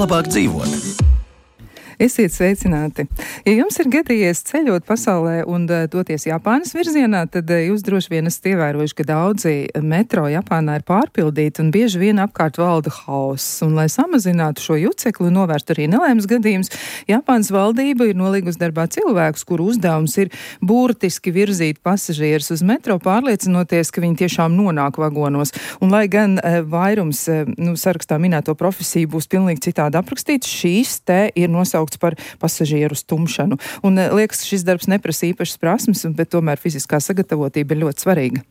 labāk dzīvot. Esiet sveicināti! Ja jums ir gadījies ceļot pasaulē un doties Japānas virzienā, tad jūs droši vien esat ievērojuši, ka daudzi metro Japānā ir pārpildīti un bieži vien apkārt valda hauss. Un, lai samazinātu šo jucekli un novērstu arī nelēmas gadījumus, Japānas valdība ir nolīgusi darbā cilvēkus, kuru uzdevums ir burtiski virzīt pasažierus uz metro, pārliecinoties, ka viņi tiešām nonāk vagonos. Un, lai gan vairums sarakstā minēto profesiju būs pilnīgi citādi aprakstīts, šīs te ir nosaukts par pasažieru stumšanu. Un liekas, šis darbs neprasa īpašas prasmes, bet tomēr fiziskā sagatavotība ir ļoti svarīga.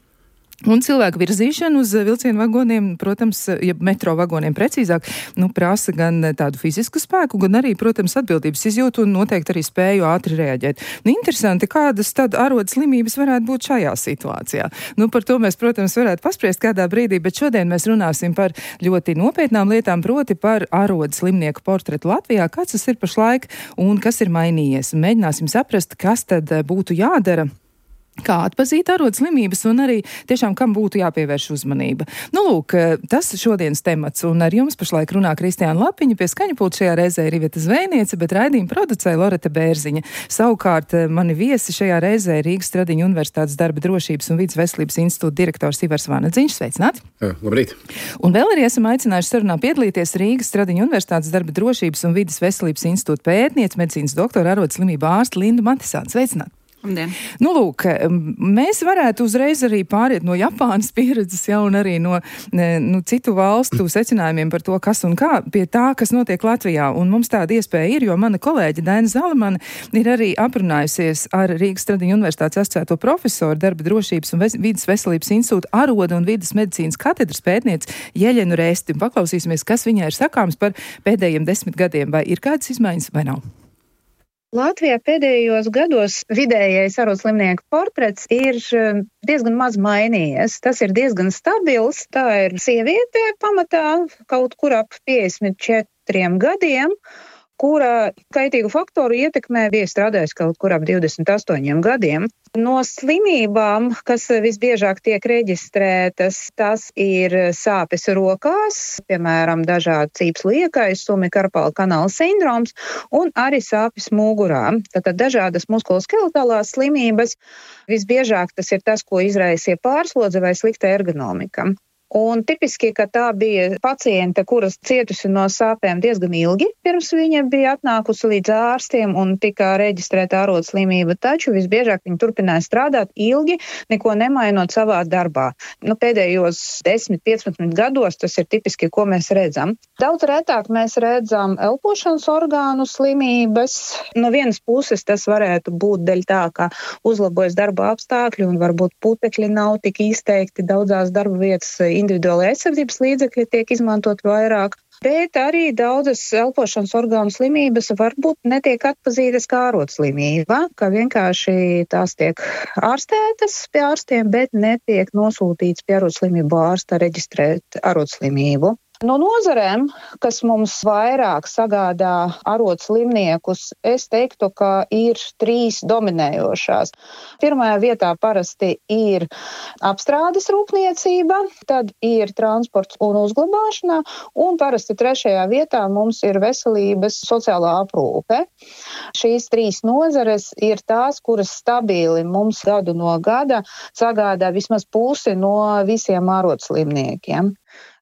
Un cilvēku virzīšana uz vilcienu vagoniem, protams, ja metro vagoniem precīzāk, prasa gan tādu fizisku spēku, gan arī, protams, atbildības izjūtu un noteikti arī spēju ātri reaģēt. Interesanti, kādas tad arodas slimības varētu būt šajā situācijā. Par to mēs, protams, varētu paspriest kādā brīdī, bet šodien mēs runāsim par ļoti nopietnām lietām, proti par arodas slimnieku portretu Latvijā, kāds tas ir pašlaik un kas ir mainījies. Mēģināsim saprast, kas tad būtu jādara, kā atpazīt arodas slimības un arī tiešām kam būtu jāpievērš uzmanība. Lūk, tas šodienas temats, un ar jums pašlaik runā Kristiāna Lapiņa, pie skaņa pulta šajā reizē ir Iveta Zvejniece, bet raidījumu producēja Loreta Bērziņa. Savukārt mani viesi šajā reizē ir Rīgas Stradiņu Universitātes darba drošības un vides veselības institūta direktors Ivars Vanadziņš. Sveicināti! Labrīt! Un vēl arī esam aicinājuši sarunā piedalīties Rīgas Stradiņu Universitātes darba drošības un vides veselības institūta pētniece, medicīnas doktora arodas slimību ārste Linda Matisāne. Sveicināti! Lūk, mēs varētu uzreiz arī pāriet no Japānas pieredzes un arī no citu valstu secinājumiem par to, kas un kā, pie tā, kas notiek Latvijā. Un mums tāda iespēja ir, jo mana kolēģe Daina Zalamane ir arī aprunājusies ar Rīgas Stradiņu Universitātes asociēto profesoru darba drošības un vides veselības institūta arodu un vides medicīnas katedras pētnieci Jeļenu Rēsti. Paklausīsimies, kas viņai ir sakāms par pēdējiem 10 gadiem, vai ir kādas izmaiņas vai nav. Latvijā pēdējos gados vidējais arodas slimnieku portrets ir diezgan maz mainījies. Tas ir diezgan stabils. Tā ir sieviete pamatā kaut kur ap 54 gadiem, kura kaitīgu faktoru ietekmē bija strādājusi kaut kur ap 28 gadiem. No slimībām, kas visbiežāk tiek reģistrētas, tas ir sāpes rokās, piemēram, dažādi cīps liekaisumi, karpāla kanāla sindroms un arī sāpes mugurā. Tātad dažādas muskuloskeletālās slimības, visbiežāk tas ir tas, ko izraisīja pārslodze vai slikta ergonomika. Un tipiski, ka tā bija paciente, kuras cietusi no sāpēm diezgan ilgi, pirms viņa bija atnākusi līdz ārstiem un tika reģistrēta arodas slimība, taču visbiežāk viņa turpināja strādāt ilgi, neko nemainot savā darbā. Pēdējos 10-15 gados tas ir tipiski, ko mēs redzam. Daudz retāk mēs redzam elpošanas orgānu slimības. No vienas puses tas varētu būt dēļ tā, ka uzlabojas darba apstākļi un varbūt putekļi nav tik izteikti daudzās darba vietas. Individuālajā aizsardzības līdzekļi tiek izmantot vairāk, bet arī daudzas elpošanas orgānu slimības varbūt netiek atpazītas kā arodas slimība, ka vienkārši tās tiek ārstētas pie ārstiem, bet netiek nosūtīts pie arodas slimību ārsta reģistrēt arodas slimību. No nozarēm, kas mums vairāk sagādā arodas slimniekus, es teiktu, ka ir 3 dominējošās. Pirmajā vietā parasti ir apstrādes rūpniecība, tad ir transports un uzglabāšana, un parasti 3. vietā mums ir veselības sociālā aprūpe. Šīs 3 nozares ir tās, kuras stabili mums gadu no gada sagādā vismaz pusi no visiem arodas slimniekiem.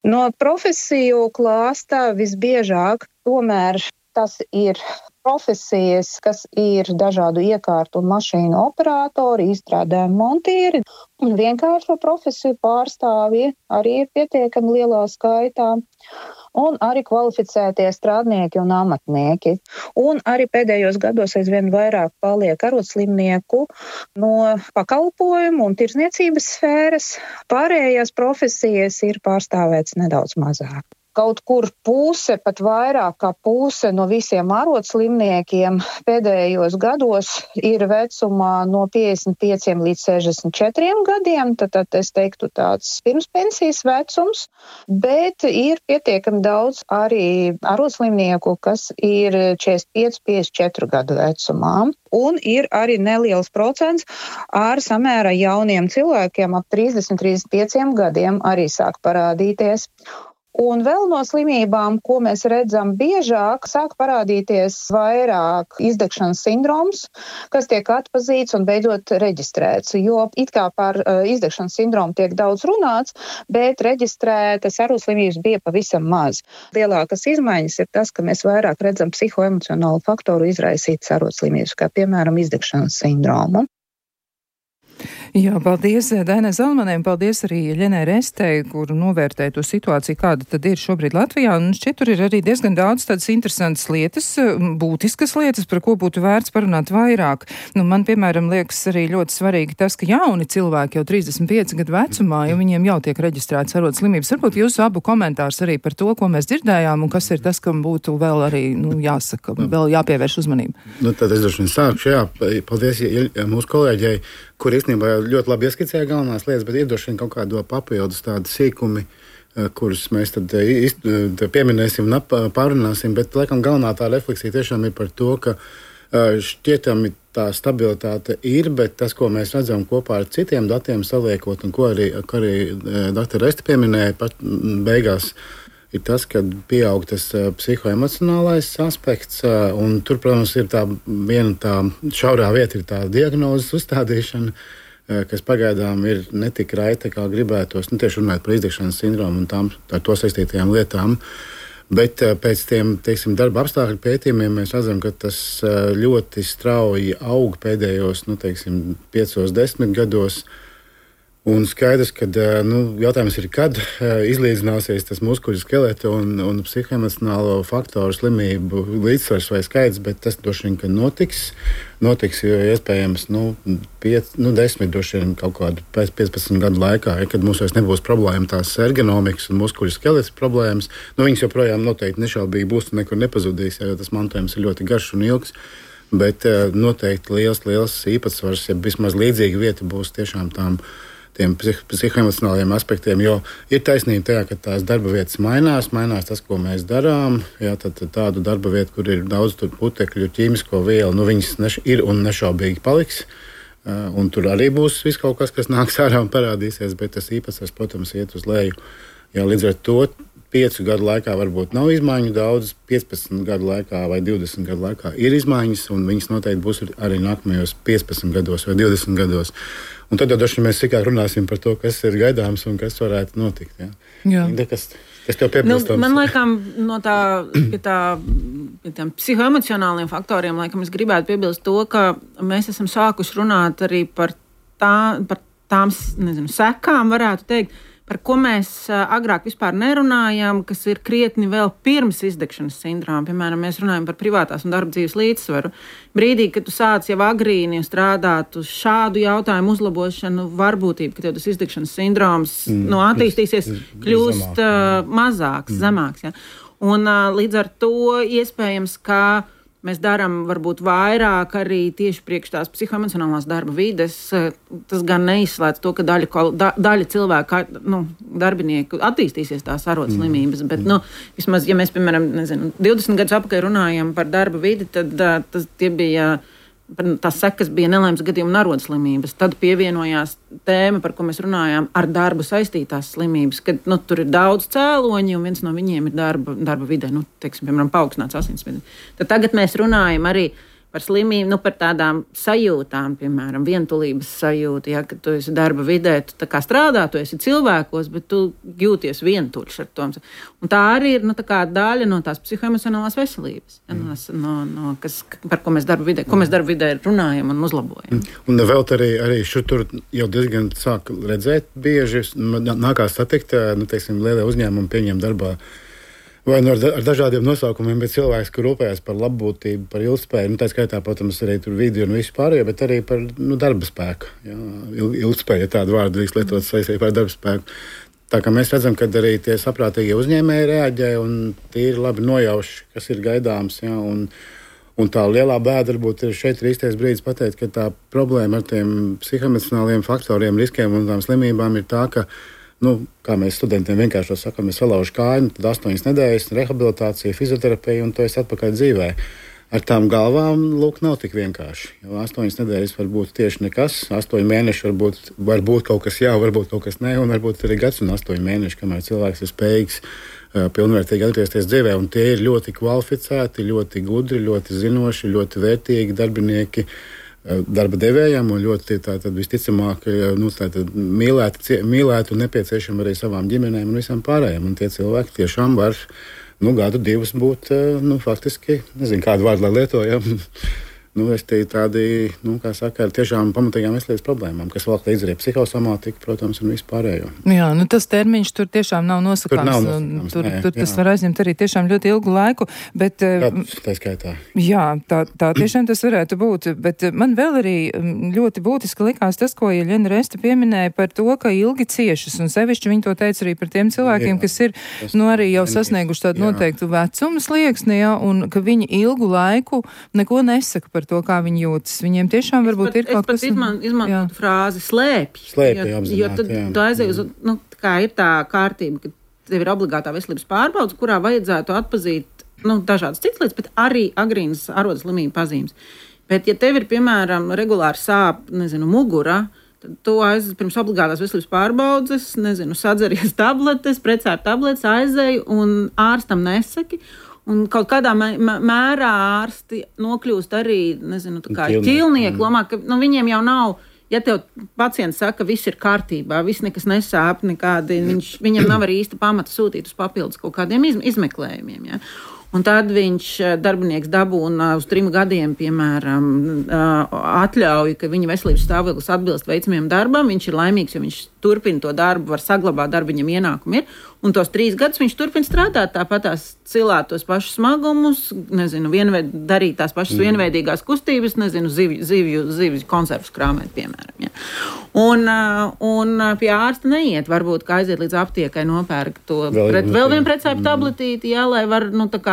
No profesiju klāsta visbiežāk tomēr tas ir profesijas, kas ir dažādu iekārtu un mašīnu operatori, izstrādājumi montieri, un vienkāršo profesiju pārstāvji arī ir pietiekami lielā skaitā, un arī kvalificētie strādnieki un amatnieki. Un arī pēdējos gados aizvien vairāk paliek arodas slimnieku no pakalpojumu un tirdzniecības sfēras. Pārējās profesijas ir pārstāvētas nedaudz mazāk. Kaut kur puse, pat vairāk kā puse no visiem arodas slimniekiem pēdējos gados ir vecumā no 55 līdz 64 gadiem, tad es teiktu tāds pirmspensijas vecums, bet ir pietiekami daudz arī arodas slimnieku, kas ir 45-54 gadu vecumā. Un ir arī neliels procents ar samērā jauniem cilvēkiem ap 30-35 gadiem arī sāk parādīties. Un vēl no slimībām, ko mēs redzam biežāk, sāk parādīties vairāk izdegšanas sindroms, kas tiek atpazīts un beidzot reģistrēts. Jo it kā par izdegšanas sindromu tiek daudz runāts, bet reģistrētas arodslimības bija pavisam maz. Lielākas izmaiņas ir tas, ka mēs vairāk redzam psihoemocionālu faktoru izraisītas arodslimības, kā piemēram izdegšanas sindromu. Jā, paldies Dainai Zalmanēm, paldies arī Ļenai Restei, kuru novērtēja to situāciju, kāda tad ir šobrīd Latvijā. Un šķiet, tur ir arī diezgan daudz tādas interesantas lietas, būtiskas lietas, par ko būtu vērts parunāt vairāk. Man, piemēram, liekas arī ļoti svarīgi tas, ka jauni cilvēki jau 35 gadu vecumā, jo viņiem jau tiek reģistrētas arodslimības. Varbūt jūsu abu komentārs arī par to, ko mēs dzirdējām, un kas ir tas, kam būtu vēl arī, jāsaka, vēl jāpievērš uzmanību. Tad es droši vien sākšu, paldies mūsu kolēģei, kur īstenībā ļoti labi ieskicēja galvenās lietas, bet ir droši vien kaut kādo papildus tādi sīkumi, kurus mēs tad pieminēsim un pārunāsim, bet laikam galvenā tā refleksija tiešām ir par to, ka šķietami tā stabilitāte ir, bet tas, ko mēs redzam kopā ar citiem datiem saliekot, un ko arī dr. Reste pieminēja pat beigās, ir tas, ka pieaug tas psihoemocionālais aspekts, un tur, protams, ir tā viena tā šaurā vieta, ir tā diagnozes uzstādīšana, kas pagaidām ir netik raita, kā gribētos, tieši runājot par izdegšanas sindromu un ar to saistītajām lietām. Bet pēc tiem, darba apstākļu pētījumiem mēs redzam, ka tas ļoti strauji aug pēdējos, 5-10 gados. Un skaidrs, ka jautājums ir, kad izlīdzināsies tas muskuļu skeleta un psihoemocionālo faktoru slimību līdzsvars vai skaits, bet tas droši vien, ka notiks, jo iespējams 10 droši vien kaut kādu pēc 15 gadu laikā, kad mums vairs nebūs problēma tās ergonomikas un muskuļu skeleta problēmas, viņas joprojām noteikti nešaubīgi būs un nekur nepazudīs, jo tas mantojums ir ļoti garš un ilgs. Bet noteikti liels īpatsvars, ja vismaz līdzīga vieta būs tiešām tiem psihoemocionāliem aspektiem, jo ir taisnība tajā, ka tās darba vietas mainās tas, ko mēs darām. Jā, tad tādu darba vietu, kur ir daudz putekļu, ķīmisko vielu, viņas ir un nešaubīgi paliks. Un tur arī būs viss kaut kas nāks ārā un parādīsies, bet tas īpatsvars, protams, iet uz leju. Jā, līdz ar to 5 gadu laikā varbūt nav izmaiņu daudz, 15 gadu laikā vai 20 gadu laikā ir izmaiņas, un viņas noteikti būs arī nākamajos 15 gados vai 20 gados. Un tad droši vien mēs sīkāk runāsim par to, kas ir gaidāms un kas varētu notikt. Jā. Kas tev piebilstams? Man laikam no pie tiem psihoemocionāliem faktoriem, laikam es gribētu piebilst to, ka mēs esam sākuši runāt arī par tām, sekām, varētu teikt, par ko mēs agrāk vispār nerunājām, kas ir krietni vēl pirms izdegšanas sindroma. Piemēram, mēs runājam par privātās un darba dzīves līdzsvaru. Brīdī, kad tu sāc jau agrīni strādāt uz šādu jautājumu uzlabošanu, varbūtība, ka tev tas izdegšanas sindroms attīstīsies, kļūst mazāks, zemāks. Ja? Un līdz ar to iespējams, ka mēs darām varbūt vairāk arī tieši priekš tās psihoemocionālās darba vides. Tas gan neizslēdz to, ka daļa cilvēku, darbinieku attīstīsies tās arodslimības, bet, vismaz, ja mēs, piemēram, 20 gadus apakaļ runājam par darba vidi, tad tie bija, tās sekas bija nelaimes gadījuma un arodslimības. Tad pievienojās tēma, par ko mēs runājām, ar darbu saistītās slimības, kad tur ir daudz cēloņi, un viens no viņiem ir darba vidē, piemēram, paaugstināts asinsspiediens. Tad tagad mēs runājam arī par slimību, par tādām sajūtām, piemēram, vientulības sajūta, ja, kad tu esi darba vidē, tu tā kā strādā, tu esi cilvēkos, bet tu jūties vientuļš ar to. Un tā arī ir daļa no tās psihoemocionālās veselības, ja, par ko mēs darba vidē runājam un uzlabojam. Un vēl arī šur jau diezgan sāk redzēt bieži, nākās satikt, lielie uzņēmumi pieņem darbā vai ar dažādiem nosaukumiem, bet cilvēks, kur rūpējas par labbūtību, par ilgspēju, tā skaitā, protams, arī tur vidi un visu pārējo, bet arī par darba spēku. Jā, ilgspēja ir tādu vārdu lietot saistībā ar darba spēku. Tā kā mēs redzam, ka arī tie saprātīgie uzņēmēji reaģē un tie ir labi nojauši, kas ir gaidāms. Jā, un tā lielā bēda varbūt ir šeit īstais brīdis pateikt, ka tā problēma ar tiem psihoemocionāliem faktoriem, riskiem un tām slimībām ir tā, ka kā mēs studentiem vienkārši sakām, mēs salaužam kāju, tad 8 nedēļas rehabilitācija, fizioterapija un to es atpakaļ dzīvē. Ar tām galvām, nav tik vienkārši. Jo 8 nedēļas var būt tieši nekas, 8 mēneši var būt kaut kas jā, varbūt kaut kas nē, un varbūt arī gads un 8 mēneši, kamēr cilvēks ir spējīgs pilnvērtīgi atgriezties dzīvē. Un tie ir ļoti kvalificēti, ļoti gudri, ļoti zinoši, ļoti vērtīgi darbinieki darba devējiem un ļoti visticamāk mīlēti un nepieciešami arī savām ģimenēm un visam pārējiem. Un tie cilvēki tiešām var gadu divus būt, faktiski, nezinu, kādu vārdu lai lietojam. Es te tādi, kā saka, ar tiešām pamatīgām veselības problēmām, kas vēl līdz arī psihosomātika, protams, un vispārējo. Jā, tas termiņš tur tiešām nav nosakāms. Tur tas var aizņemt arī tiešām ļoti ilgu laiku, bet... Tā skaitā. Jā, tā tiešām tas varētu būt, bet man vēl arī ļoti būtiski likās tas, ko Jeļena Reste pieminēja par to, ka ilgi ciešas, un sevišķi viņi to teica arī par tiem cilvēkiem, kas ir, arī jau sasnieguši tādu noteiktu vecumu slieksni, un ka viņi ilgu laiku neko nesaka par to, kā viņi jūtas. Viņiem tiešām varbūt ir kaut kas... Es pat izmantotu frāzi slēpj. Jo tad tu aizēji uz, kā ir tā kārtība, ka tev ir obligātā veselības pārbaudas, kurā vajadzētu atpazīt, dažādas citas lietas, bet arī agrīnas arodas slimību pazīmes. Bet, ja tev ir, piemēram, regulāri sāp, mugura, tad tu pirms obligātās veselības pārbaudas, sadzeries tabletes, precēri tabletes, aizēji un ārstam nesaki. Un kaut kādā mērā ārsti nokļūst arī, ķilnieku lomā, ka viņiem jau nav, ja tev pacients saka, ka viss ir kārtībā, viss nekas nesāp, viņam nav arī īsta pamata sūtīt uz papildus kaut kādiem izmeklējumiem. Ja? Un tad darbinieks dabūna uz 3 gadiem, piemēram, atļauju, ka viņa veselības stāvoklis atbilst veicamajam darbam, viņš ir laimīgs, jo viņš turpina to darbu, var saglabāt darbu, viņam ienākumi ir, un tos 3 gadus viņš turpina strādāt, tāpat tās cilāt tos pašus smagumus, darīt tās pašas vienveidīgās kustības, zivju konservus krāmēt, piemēram. Ja. Un pie ārsta neiet, varbūt, ka aiziet līdz aptiekai nopērk to vēl vienu precēju tabletīti, jā, lai var,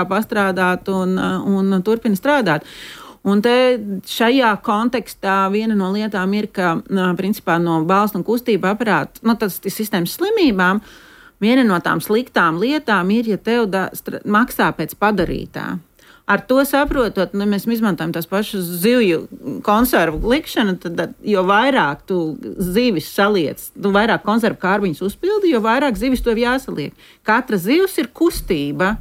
pastrādāt un turpina strādāt. Un te šajā kontekstā viena no lietām ir, ka, principā, no balstu un kustību aparāta, tas sistēmas slimībām, viena no tām sliktām lietām ir, ja tev maksā pēc padarītā. Ar to saprotot, mēs izmantojam tās pašas zivju konservu likšanu, tad, jo vairāk tu zivis saliec, vairāk konservu kārbiņus uzpildi, jo vairāk zivis tev jāsaliek. Katra zivs ir kustība.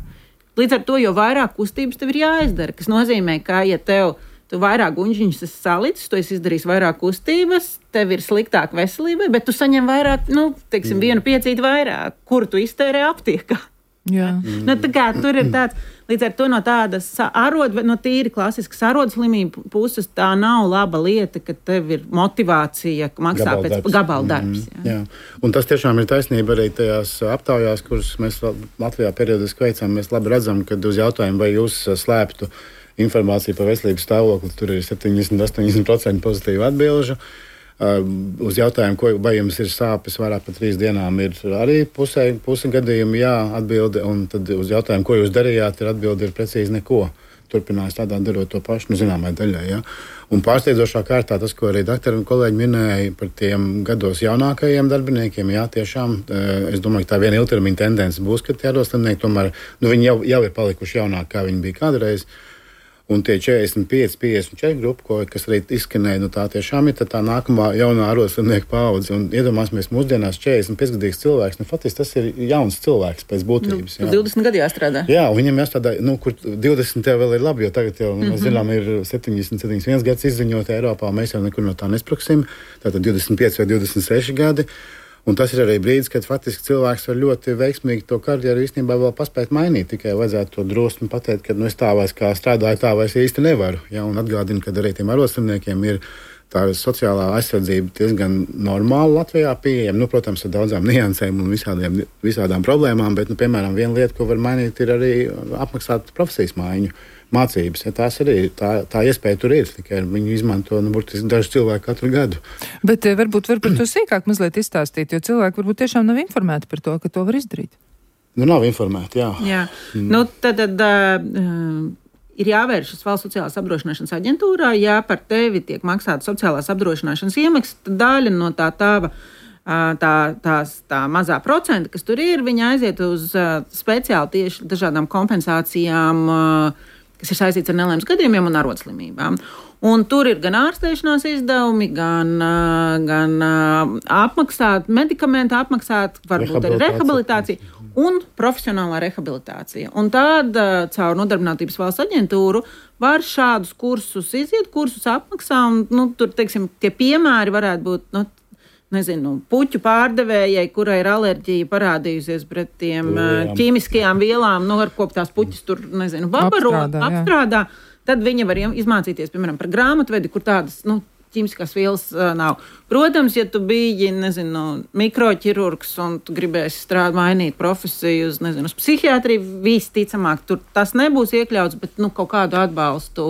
Līdz ar to, jo vairāk kustības tev ir jāizdara, kas nozīmē, ka, ja tu vairāk guņžiņus esi salicis, tu esi izdarījis vairāk kustības, tev ir sliktāka veselība, bet tu saņem vairāk, vienu piecīti vairāk, kuru tu iztērē aptiekā. Jā. Tur ir tāds, līdz ar to no tādas no tīri klasiskas arodas slimību puses, tā nav laba lieta, ka tev ir motivācija, ka maksā pēc gabala darbs. Jā. Un tas tiešām ir taisnība arī tajās aptaujās, kuras mēs Latvijā periodiski veicam. Mēs labi redzam, ka uz jautājumu, vai jūs slēptu informāciju par veselības stāvokli, tur ir 70-80% pozitīvu atbilžu. Uz jautājumu, vai jums ir sāpes vairāk par 3 dienām, ir arī puse gadījumi jā atbilde, un tad uz jautājumu, ko jūs darījāt, atbilde ir precīzi neko. Turpinājis tādā darot to pašu, zināmai daļai. Ja? Un pārsteidzošā kārtā tas, ko arī doktori un kolēģi minēja par tiem gados jaunākajiem darbiniekiem, jā, tiešām, es domāju, ka tā viena ilgtermiņa tendence būs, ka tie arodslimnieki tomēr, viņi jau ir palikuši jaunāki, kā viņi bija kādreiz. Un tie 45, 54 grupa, kas arī izskanēja, tā tiešām ir tā nākamā jaunā arodslimnieku paudze. Un iedomāsimies, mūsdienās 45-gadīgs cilvēks, faktiski tas ir jauns cilvēks pēc būtības. 20 gadu jāstrādā. Jā, un viņam jāstrādā, kur 20 tev vēl ir labi, jo tagad jau, mēs zinām, ir 71 gads izziņot Eiropā, mēs jau nekur no tā nespruksim, tātad 25 vai 26 gadi. Un tas ir arī brīdis, kad faktiski cilvēks var ļoti veiksmīgi to karjeru īstenībā vēl paspēt mainīt. Tikai vajadzētu to drosmi pateikt, ka es tā vairs kā strādāju, tā vairs īsti nevaru. Ja? Un atgādinu, ka arī tiem arodslimniekiem ir tā sociālā aizsardzība diezgan normāla Latvijā pieejama. Protams, ar daudzām niansēm un visādām problēmām, bet, piemēram, viena lieta, ko var mainīt, ir arī apmaksāt profesijas maiņu. Mācības, ja tās arī tā iespēja tur ir, tikai viņu izmanto burtiski daži cilvēki katru gadu. Bet varbūt var par to sīkāk mazliet izstāstīt, jo cilvēki varbūt tiešām nav informēti par to, ka to var izdarīt. Nav informēti, jā. Jā. Tad ir jāvēršas Valsts sociālās apdrošināšanas aģentūrā, ja par tevi tiek maksāta sociālās apdrošināšanas iemaksas, tad daļa no tā mazā procenta, kas tur ir, viņa aiziet uz speciāli tieši dažādām kompensācijām, kas ir saistīts ar nelaimes gadījumiem un arodslimībām. Un tur ir gan ārstēšanās izdevumi, gan apmaksāt, medikamenti apmaksāt, varbūt arī rehabilitācija un profesionālā rehabilitācija. Un tāda caur Nodarbinātības valsts aģentūru var šādus kursus iziet, kursus apmaksā, un tur, teiksim, tie piemēri varētu būt, puķu pārdevējai, kurai ir alerģija parādījusies pret tiem ķīmiskajām vielām, ar ko tās puķis tur, babaro, apstrādā. Tad viņa var izmācīties, piemēram, par grāmatvedi, kur tādas, ķīmiskās vielas nav. Protams, ja tu biji, mikroķirurgs un tu gribēsi mainīt profesiju uz psihiatriju, visticamāk, tur tas nebūs iekļauts, bet, kaut kādu atbalstu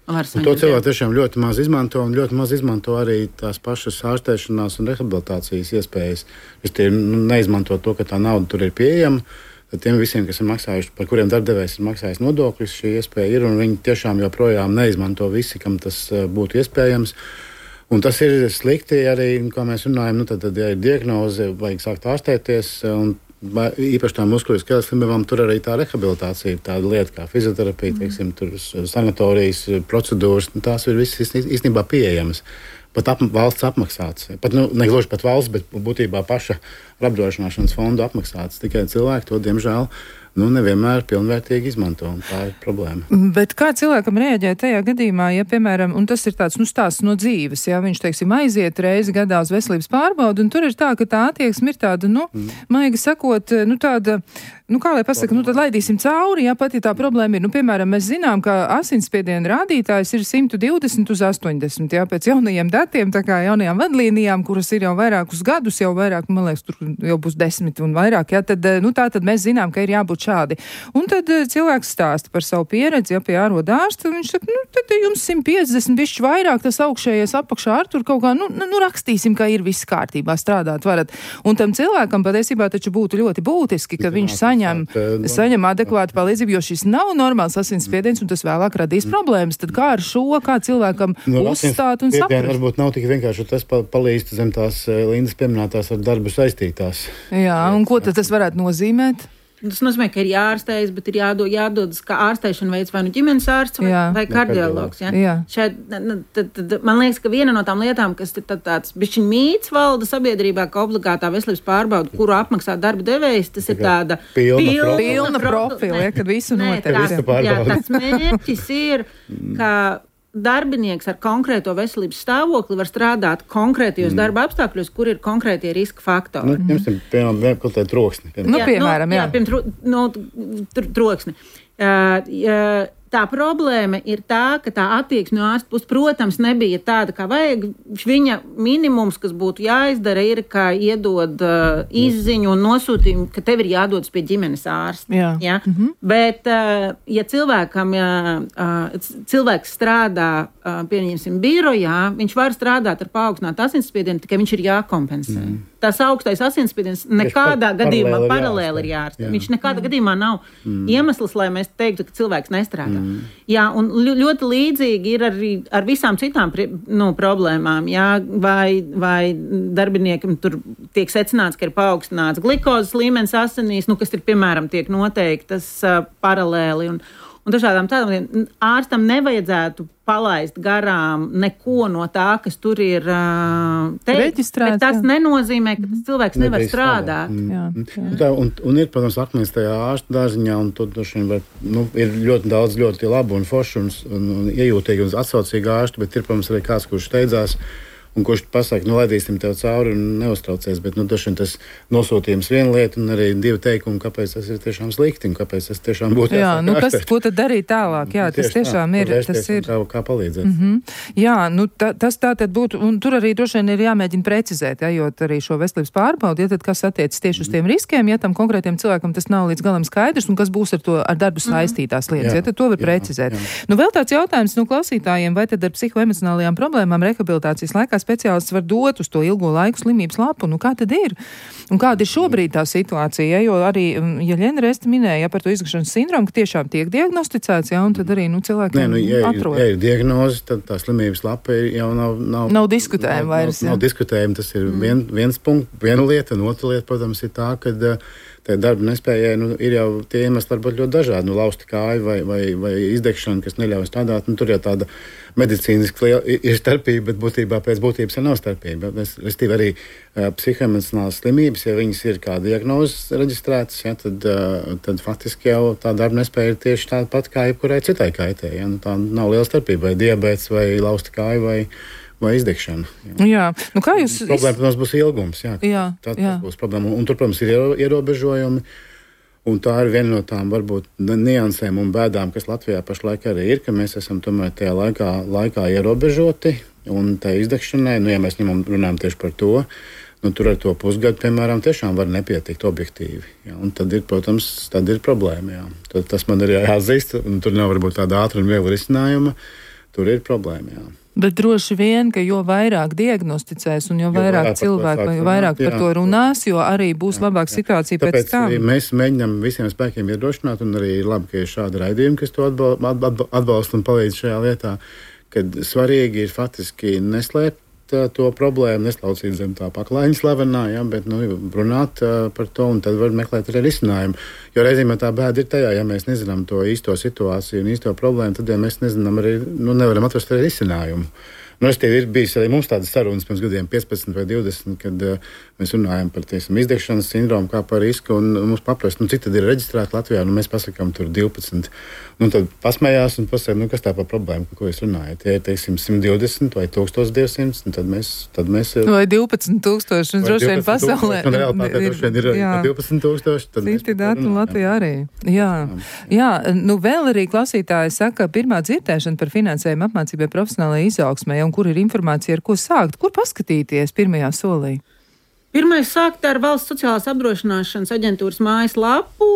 To cilvēki tiešām ļoti maz izmanto, un ļoti maz izmanto arī tās pašas ārstēšanās un rehabilitācijas iespējas. Es neizmanto to, ka tā nauda tur ir pieejama. Tad tiem visiem, kas ir maksājuši, par kuriem darbdevējs ir maksājis nodokļus, šī iespēja ir, un viņi tiešām joprojām neizmanto visi, kam tas būtu iespējams. Un tas ir slikti arī, kā mēs runājam, tad, ja ir diagnoze, vajag sākt ārstēties, un īpaši tām muskuļu-skeles slimībām, tur arī tā rehabilitācija ir tāda lieta kā fizioterapija, teiksim, tur sanatorijas procedūras, tās ir visas īstenībā pieejamas. Pat valsts apmaksāts. Pat, negluži pat valsts, bet būtībā paša apdrošināšanas fonda apmaksāts. Tikai cilvēki to, diemžēl, nevienmēr pilnvērtīgi izmanto, un tā ir problēma. Bet kā cilvēkam rēģē tajā gadījumā, ja, piemēram, un tas ir tāds, stāsts no dzīves, ja viņš, teiksim, aiziet reizi gadā uz veselības pārbaudu, un tur ir tā, ka tā attieksme ir tāda, maigi sakot, tāda, kā lai pasaka, tad laidīsim cauri, ja pat ja tā problēma ir, piemēram, mēs zinām, ka asinsspiediena rādītājs ir 120 uz 80, pēc jaunajiem datiem, tā kā jaunajām vadlīnijām, kuras ir jau vairākus gadus, jau vairāk, man liekas, tur jau būs 10 un vairāk, tad mēs zinām, ka ir jābūt šādi. Un tad cilvēks stāsta par savu pieredzi, pie ārodārsta, un viņš saka, tad jums 150 bišķi vairāk, tas augšējais apakšā ar tur kaut kā, rakstīsim, ka ir viss kārtībā, strādāt varat. Un tam cilvēkam patiesībā taču būtu ļoti būtiski, ka viņš saņem adekvātu palīdzību, jo šis nav normāls asinsspiediens, un tas vēlāk radīs problēmas. Tad kā ar šo, kā cilvēkam uzstāt un saprast? Varbūt nav tik vienkārši, tas palīdz zem tās Lindas pieminētās ar darbu saistītās. Jā, un ko tad tas varētu nozīmēt? Tas nozīmē, ka ir jāārstējas, bet ir jādodas, kā ārstēšana veids vai ģimenes ārsts vai kardiologs. Ja? Tad man liekas, ka viena no tām lietām, kas ir tāds bišķiņ mīts valda sabiedrībā, ka obligātā veselības pārbauda, kuru apmaksā darba devējs, tas ir tāda pilna profila, kad visu notiek. Tas mērķis ir, ka darbinieks ar konkrēto veselības stāvokli var strādāt konkrētajos darba apstākļos, kur ir konkrētie riska faktori. Piemēram, kaut kādā troksni. Troksni. Tā problēma ir tā, ka tā attieksme no ārsta puses, protams, nebija tāda, kā vajag. Viņa minimums, kas būtu jāizdara, ir, kā iedod izziņu un nosūtījumu, ka tev ir jādodas pie ģimenes ārsta. Ja? Bet, ja cilvēks strādā, pieņemsim, birojā, viņš var strādāt ar paaugstinātu asinsspiedienu, tikai viņš ir jākompensē. Tas augstais asinsspiediens nekādā gadījumā paralēli ir jārastē. Viņš nekādā gadījumā nav iemesls, lai mēs teiktu, ka cilvēks nestrādā. Jā, un ļoti līdzīgi ir arī ar visām citām problēmām. Jā, vai darbiniekam tur tiek secināts, ka ir paaugstināts glikozes līmenis asinīs, kas ir, piemēram, tiek noteiktas paralēli. Un dažādām tādām ārstam nevajadzētu palaist garām neko no tā, kas tur ir teikts. Bet tas nenozīmē, ka tas cilvēks nevar strādāt. Un ir, protams, akmens tajā ārsta dārziņā, un tur ir ļoti daudz ļoti labu un foršu un iejūtīgi un atsaucīgi ārstu, bet ir, protams, arī kāds, kurš steidzās un kurš pasaka, laidīsim tev cauri un neuztraucies, bet tas nosūtījums viena lieta un arī divi teikumi, kāpēc tas ir tiešām slikti un kāpēc tas tiešām būtu jāsāk. Ko tad darīt tālāk? Jā, tas tiešām ir. Kā palīdzēt. Jā, tas tā tad būtu, un tur arī droši vien ir jāmēģina precizēt, ejot arī šo veselības pārbaudi, tad kas attiecas tieši uz tiem riskiem, ja tam konkrētiem cilvēkam tas nav līdz galam skaidrs, un kas būs ar darbu saistītās lietas, tad to var precizēt. Vēl tāds jautājums no klausītājiem, vai tad ar psihoemocionālajām problēmām rehabilitācijas laikā speciālists var dot uz to ilgo laiku slimības lapu. Nu, kā tad ir? Un kāda ir šobrīd tā situācija? Jo arī, ja Ļena Resta minēja par to izgāšanas sindromu, ka tiešām tiek diagnosticēts, un tad arī cilvēkiem atrod. Ja ir diagnoze, tad tā slimības lapa jau nav diskutējama vairs. Nav diskutējama, tas ir viens punkts, viena lieta, un otra lieta, protams, ir tā, ka tā darba nespējai ir jau tie iemesli varbūt ļoti dažādi. Lausta kāja vai izdegšana, kas neļauj strādāt. Tur jau tāda medicīniski ir starpība, bet būtībā pēc būtības nav starpība. Restīvi arī psihoemocionālas slimības, ja viņas ir kā diagnozes reģistrētas, tad faktiski jau tā darba nespēja ir tieši tāda pat kā jebkurai citai kaitē. Tā nav liela starpība, vai diabēts, vai lausta kāja, vai izdegšana. Jā. Nu, kā jūs... Problēma, protams, būs ilgums. Tas būs problēma. Un tur, protams, ir ierobežojumi. Un tā ir viena no tām varbūt niansēm un bēdām, kas Latvijā pašlaik arī ir, ka mēs esam tomēr tajā laikā ierobežoti. Un tā izdegšanai, ja mēs runājam tieši par to, tur ar to pusgadu, piemēram, tiešām var nepietikt objektīvi. Un tad ir, protams, problēma. Tas man ir jāatzīst, un tur nav varbūt tāda ātra un viegla risinājuma. Tur ir problēma. Bet droši vien, ka jo vairāk diagnosticēs un jo vairāk cilvēku, jo vairāk par to runās, jo arī būs labāka situācija pēc tam. Tāpēc mēs mēģinām visiem spēkiem iedrošināt, un arī ir labi, ka ir šādi raidījumi, kas to atbalsta un palīdz šajā lietā, kad svarīgi ir faktiski neslēpt to problēmu, neslaucīt zem tā paklājiņa slavenā, bet runāt par to, un tad var meklēt arī risinājumu. Jo reizēm tā bēda ir tajā, ja mēs nezinām to īsto situāciju un īsto problēmu, tad mēs nezinām arī, nevaram atrast arī risinājumu. Ir bijis arī mums tādas sarunas pirms gadiem 15 vai 20, kad mēs runājam par izdegšanas sindromu kā par risku, un mums paprast, cik tad ir reģistrēti Latvijā, mēs pasakām tur 12. Tad pasmējās un pasaka, kas tā par problēmu, par ko jūs runājat. Ja ir, 120 vai 1200, tad mēs... Vai 12,000, un droši vien pasaulē. Un realitātē droši vien ir 12,000. Citi dati Latvijā arī. Jā, vēl arī klausītāji saka, pirmā dzirdēšana par finansējumu apmācībai profesionālajai izaugsmai, un kur ir informācija, ar ko sākt, kur paskatīties pirmajā solī? Pirmais sākt ar Valsts sociālās apdrošināšanas aģentūras mājaslapu,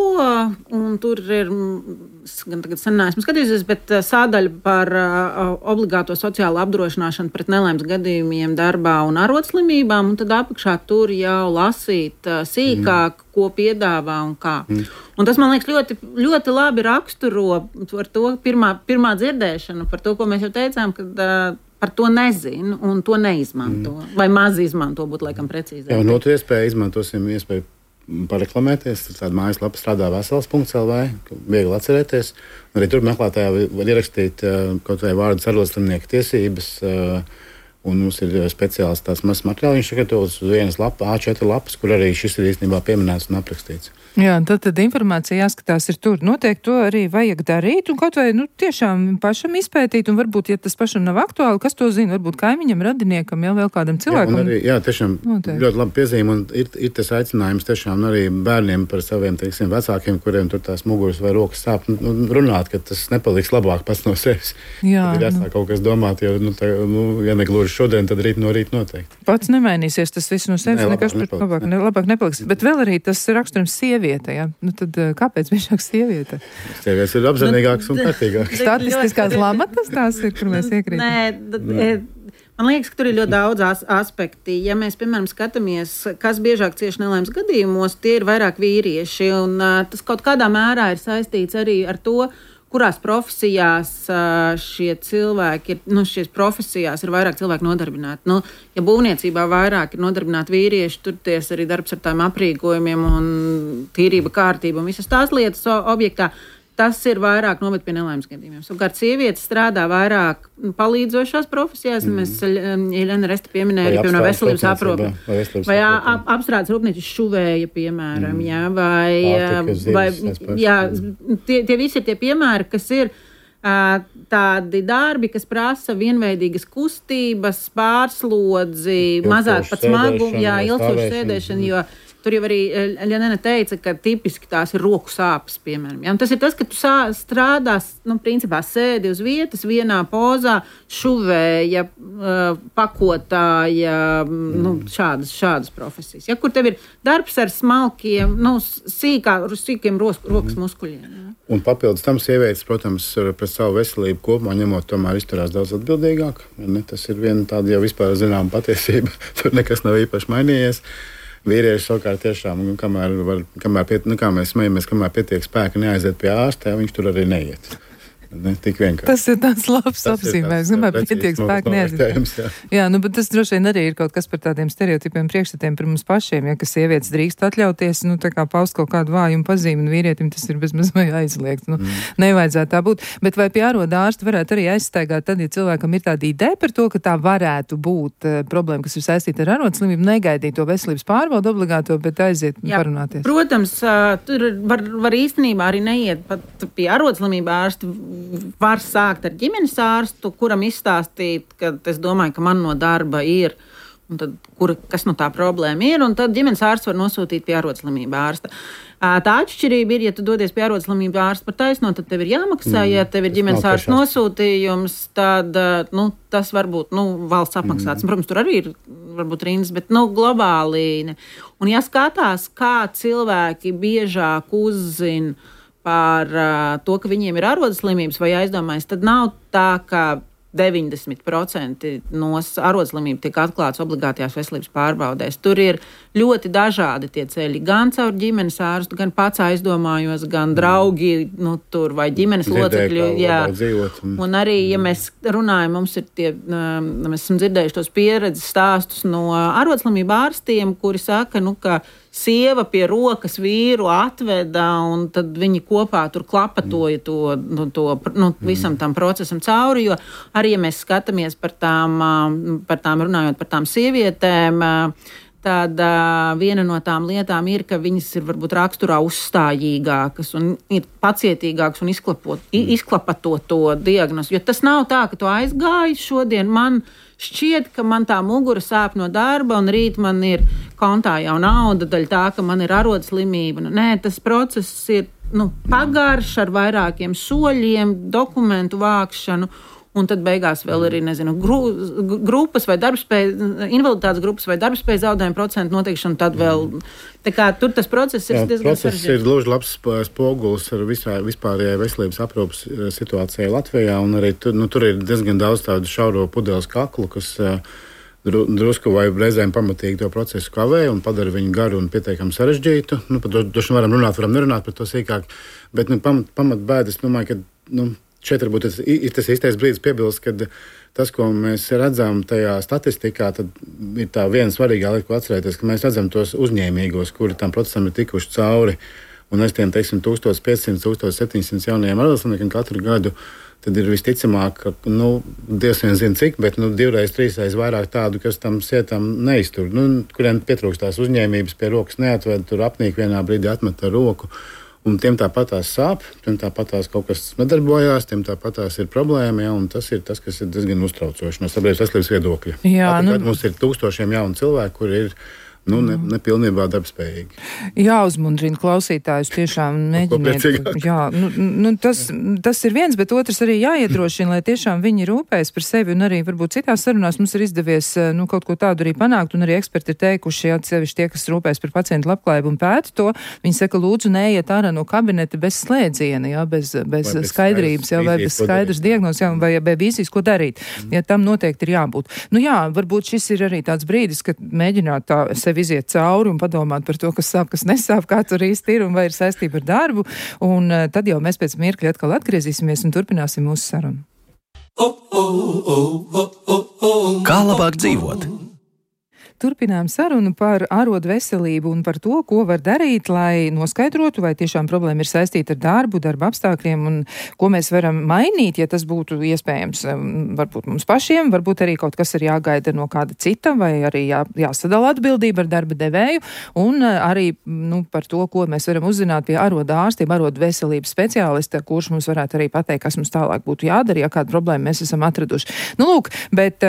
un tur ir, gan tagad sen neesmu skatījusies, bet sādaļa par obligāto sociālo apdrošināšanu pret nelaimes gadījumiem darbā un arodslimībām, un tad apakšā tur jau lasīt sīkāk, ko piedāvā un kā. Un tas, man liekas, ļoti, ļoti labi raksturo par to pirmā dzirdēšanu, par to, ko mēs jau teicām, kad par to nezinu un to neizmanto. Vai maz izmanto, būtu laikam precīzāk. Un otru izmantosim iespēju pareklamēties. Tāda mājaslapa strādā vesels.lv, viegli atcerēties. Arī tur meklētājā var ierakstīt kaut vai vārdu arodslimnieku tiesības. Un mums ir speciāls tāds mazs materiāls, sagatavots uz vienas A4 lapas, kur arī šis ir īstenībā pieminēts un aprakstīts. Jā, tad informācija jāskatās ir tur. Noteikti to arī vajag darīt un kaut vai tiešām pašam izpētīt, un varbūt, ja tas pašam nav aktuāli, kas to zina, varbūt kaimiņam, radiniekam, jau vēl kādam cilvēkam. Tiešām noteikti. Ļoti labi piezīme, un ir tas aicinājums tiešām arī bērniem par saviem, vecākiem, kuriem tur tās muguras vai rokas sāp, runāt, ka tas nepaliks labāk pats no sevis. Jā, tad ir jāsāk kaut kas domāt, jo, ja negluži šodien, tad rīt no rīta noteikti. Pats nemainīsies, tas viss no sevis nekas labāk nepaliks. Bet vēl arī tas raksturams sieviete, ja? Tad kāpēc biežāk sieviete? Sievietes ir apzinīgākas un kārtīgākas. Statistiskās lamatas tās ir, kur mēs iekrītam. Man liekas, ka tur ir ļoti daudz aspekti. Ja mēs, piemēram, skatāmies, kas biežāk cieši nelaimes gadījumos, tie ir vairāk vīrieši, un tas kaut kādā mērā ir saistīts arī ar to, kurās profesijās šie cilvēki ir, šīs profesijās ir vairāk cilvēku nodarbināti. Ja būvniecībā vairāk ir nodarbināti vīrieši, tur ties arī darbs ar tādiem aprīkojumiem un tīrība, kārtība un visas tās lietas objektā. Tas ir vairāk noved pie nelaimes gadījumiem. Savukārt sievietes strādā vairāk palīdzošās profesijās. Mēs Ļena Resta pieminēja arī, piemēram, veselības aprūpe. Vai apstrādes rūpnīcas šuvēja, piemēram. Tie visi ir tie piemēri, kas ir tādi darbi, kas prasa vienveidīgas kustības, pārslodzi, mazāk pat smagumu, ilgstošu sēdēšanu, tur jau arī Ļanena teica, ka tipiski tās ir roku sāpes, piemēram. Ja? Un tas ir tas, ka tu strādās, principā sēdi uz vietas, vienā pozā, šuvēja, pakotāja, šādas profesijas. Ja? Kur tev ir darbs ar smalkiem, sīkiem rokas muskuļiem. Ja? Un papildus tam sievietes, protams, pret savu veselību kopumā ņemot, tomēr izturās daudz atbildīgāk. Ne? Tas ir viena tāda jau vispār zināma patiesība. Tur nekas nav īpaši mainījies. Vīrieši savukārt tiešām, kā mēs smejamies, kamēr pietiek spēka neaiziet pie ārsta, viņš tur arī neiet. Ne, tik vienkārši. Tas ir tāds labs apzīmējums. Pietiek spēku neaiziet. Jā, bet tas droši vien arī ir kaut kas par tādiem stereotipiem priekšstatiem par mums pašiem, ja, ka sievietes drīkst atļauties, tā kā paust kaut kādu vājumu pazīmi, un vīrietim tas ir bezmaz vai aizliegts. Nevajadzētu tā būt. Bet vai pie āroda ārsta varētu arī aizstaigāt tad, ja cilvēkam ir tāda ideja par to, ka tā varētu būt problēma, kas ir saistīta ar arodslimību, negaidīt to veselības pārbaudu obligāto, bet aiziet un parunāties? Protams, tur var īstenībā arī neiet pat pie arodslimību ārsta. Var sākt ar ģimenes ārstu, kuram izstāstīt, ka es domāju, ka man no darba ir, un tad, kas no tā problēma ir, un tad ģimenes ārsts var nosūtīt pie arodslimību ārsta. Tā atšķirība ir, ja tu dodies pie arodslimību ārsta par taisno, tad tev ir jāmaksā, ja tev ir ģimenes ārsta nosūtījums, tad tas varbūt valsts apmaksāts. Protams, tur arī ir varbūt rindas, bet globāli ne. Un ja skatās, kā cilvēki biežāk uzzina par to, ka viņiem ir arodslimības vai aizdomājas, tad nav tā, ka 90% no arodslimību tiek atklāts obligātajās veselības pārbaudēs. Tur ir ļoti dažādi tie ceļi, gan caur ģimenes ārstu, gan pats aizdomājos, gan draugi, tur vai ģimenes locekļi. Jā. Un arī, ja mēs runājam, mums ir mēs esam dzirdējuši tos pieredzes stāstus no arodslimību ārstiem, kuri saka, ka sieva pie rokas vīru atveda, un tad viņi kopā tur klapatoja to visam tam procesam cauri, jo arī, ja mēs skatāmies par tām runājot par tām sievietēm, tad viena no tām lietām ir, ka viņas ir varbūt raksturā uzstājīgākas un ir pacietīgākas un izklapato to diagnozi. Jo tas nav tā, ka tu aizgāji šodien, man šķiet, ka man tā mugura sāp no darba un rīt man ir kontā jau nauda daļa tā, ka man ir arodslimība. Nē, tas process ir pagarš ar vairākiem soļiem, dokumentu vākšanu. Un tad beigās vēl ir, grupas vai invaliditātes grupas vai darbspējas zaudējuma procentu noteikšana, tad vēl, tur tas process ir diezgan sarežģīts. Process ir gluži labs spogulis ar vispārējai veselības aprūpas situācijai Latvijā, un arī tur ir diezgan daudz tādu šauro pudeles kaklu, kas drusku vai reizēm pamatīgi to procesu kavē un padara viņu garu un pietiekami sarežģītu. Par to varam runāt, varam nerunāt par to sīkāk, bet pamatbēdas, domāju, ka, šeit varbūt ir tas īstais brīdis piebilst, ka tas, ko mēs redzam tajā statistikā, tad ir tā viena svarīgā lieta, ko atcerēties, ka mēs redzam tos uzņēmīgos, kuri tam procesam ir tikuši cauri, un aiz tiem, 1500, 1700 jaunajiem arodslimniekiem katru gadu, tad ir visticamāk, ka, Dievs vien zina cik, bet 2-3 reizes vairāk tādu, kas tam sietam neiztur, kuriem pietrūkst tās uzņēmības, pie rokas neatved, tur apnīk vienā brīdī atmet ar roku. Un tiem tāpatās sāp, tiem tāpatās kaut kas nedarbojās, tiem tāpatās ir problēma, ja, un tas ir tas, kas ir diezgan uztraucoši no sabiedrības veselības viedokļa. Jā, mums ir tūkstošiem jaunu cilvēku, kuri ir nepilnībā darbspējīgi. Jāuzmundrina klausītājus, tiešām mēģiniet. Jā, tas ir viens, bet otrs arī jāiedrošina, lai tiešām viņi rūpējas par sevi, un arī varbūt citās sarunās mums ir izdevies kaut ko tādu arī panākt, un arī eksperti ir teikuši, atsevišķi tie, kas rūpējas par pacientu labklājību un pēta to, viņi saka, lūdzu, neiet ārā no kabineta bez slēdziena, jā, bez skaidrības, jā, vai bez skaidras diagnozes, jā, vai bez vīzijas, ko darīt. Ja tam noteikti ir jābūt. Varbūt šis ir arī tāds brīdis, kad mēģināt tā sevi iziet cauri un padomāt par to, kas sāp, kas nesāp, kā tur īsti ir un vai ir saistība ar darbu. Un tad jau mēs pēc mirkļa atkal atgriezīsimies un turpināsim mūsu sarunu. Kā labāk dzīvot? Turpinām sarunu par arodu veselību un par to, ko var darīt, lai noskaidrotu, vai tiešām problēma ir saistīta ar darbu, darba apstākļiem un ko mēs varam mainīt, ja tas būtu iespējams varbūt mums pašiem, varbūt arī kaut kas ir jāgaida no kāda cita, vai arī jāsadala atbildība ar darba devēju un arī par to, ko mēs varam uzzināt pie aroda ārstiem, arodu veselības speciālista, kurš mums varētu arī pateikt, kas mums tālāk būtu jādara, ja kādu problēmu mēs esam atraduši. Lūk, bet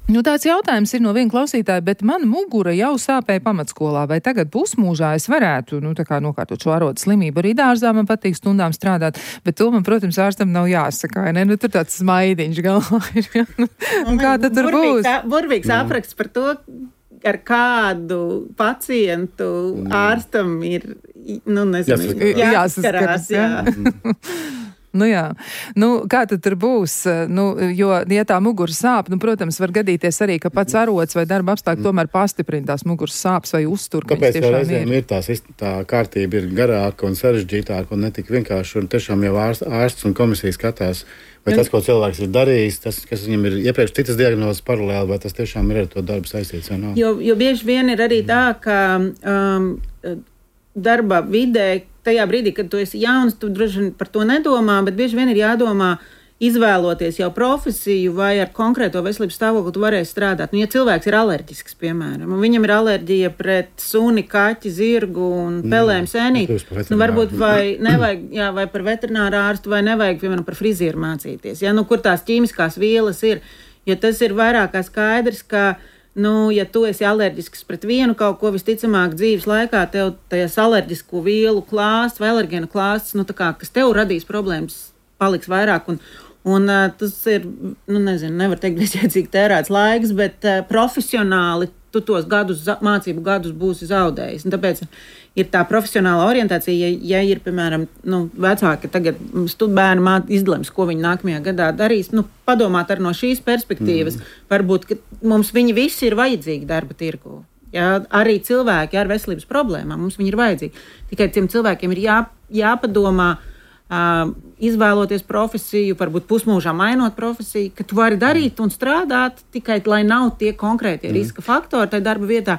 Nu, tāds jautājums ir no viena klausītāja, bet mana mugura jau sāpēja pamatskolā. Vai tagad pusmūžā es varētu, tā kā nokārtot šo arodu slimību? Arī dārzā man patīk stundām strādāt, bet to man, protams, ārstam nav jāsaka, vai ne? Tur tāds smaidiņš galvā ir. Un kā tad tur būs? Burvīgs apraksts par to, ar kādu pacientu ārstam ir, jāsaskarās. Kā tad tur būs? Jo, ja tā muguras sāp, protams, var gadīties arī, ka pats arods vai darba apstākļi tomēr pastiprina tās muguras sāpes vai uztur. Kāpēc reizēm ir tā kārtība ir garāka un sarežģītāka un netik vienkārši, un tiešām jau ārsts un komisija skatās, vai tas, ko cilvēks ir darījis, tas, kas viņam ir iepriekš citas diagnozes paralēli, vai tas tiešām ir ar to darbu saistīts vai nav? Jo bieži vien ir arī tā, ka darba vidē, tajā brīdī, kad tu esi jauns, tu droši vien par to nedomā, bet bieži vien ir jādomā izvēloties jau profesiju vai ar konkrēto veselības stāvokli tu varēsi strādāt. Ja cilvēks ir alerģisks, piemēram, un viņam ir alerģija pret suni, kaķi, zirgu un pelēm sēnīti, varbūt vai nevajag, vai par veterināru ārstu, vai nevajag, piemēram, par frizieru mācīties, kur tās ķīmiskās vielas ir, jo tas ir vairāk kā skaidrs, ka ja tu esi alerģisks pret vienu kaut ko, visticamāk dzīves laikā tev tajās alerģisko vielu klāsts vai alergēnu klāsts, kas tev radīs problēmas, paliks vairāk. Un tas ir, nevar teikt, bezjēdzīgi tērēts laiks, bet profesionāli tu tos mācību gadus būsi zaudējis. Un tāpēc ir tā profesionāla orientācija, ja ir, piemēram, vecāki tagad bērni izlems, ko viņi nākamajā gadā darīs, padomāt arī no šīs perspektīvas. Varbūt, ka mums viņi visi ir vajadzīgi darba tirgu. Arī cilvēki ar veselības problēmām, mums viņi ir vajadzīgi. Tikai tiem cilvēkiem ir jāpadomā, izvēloties profesiju, varbūt pusmūžā mainot profesiju, ka tu vari darīt un strādāt tikai, lai nav tie konkrētie riska faktori tajā darba vietā,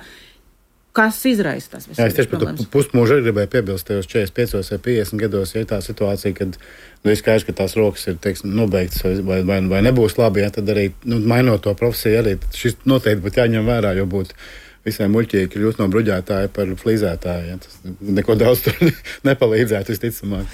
kas izraisa tās veselības problēmas. Es tieši par to pusmūžu gribēju piebilst, tajos 45 vai 50 gados, ja tā situācija, kad ir skaidrs, ka tās rokas ir, nobeigtas vai nebūs labi, tad arī, mainot to profesiju, arī šis noteikti būtu jāņem vērā, jo būtu visai muļķīgi kļūt no bruģētāja par flīzētāju. Tas neko daudz tur nepalīdzētu, visticamāk.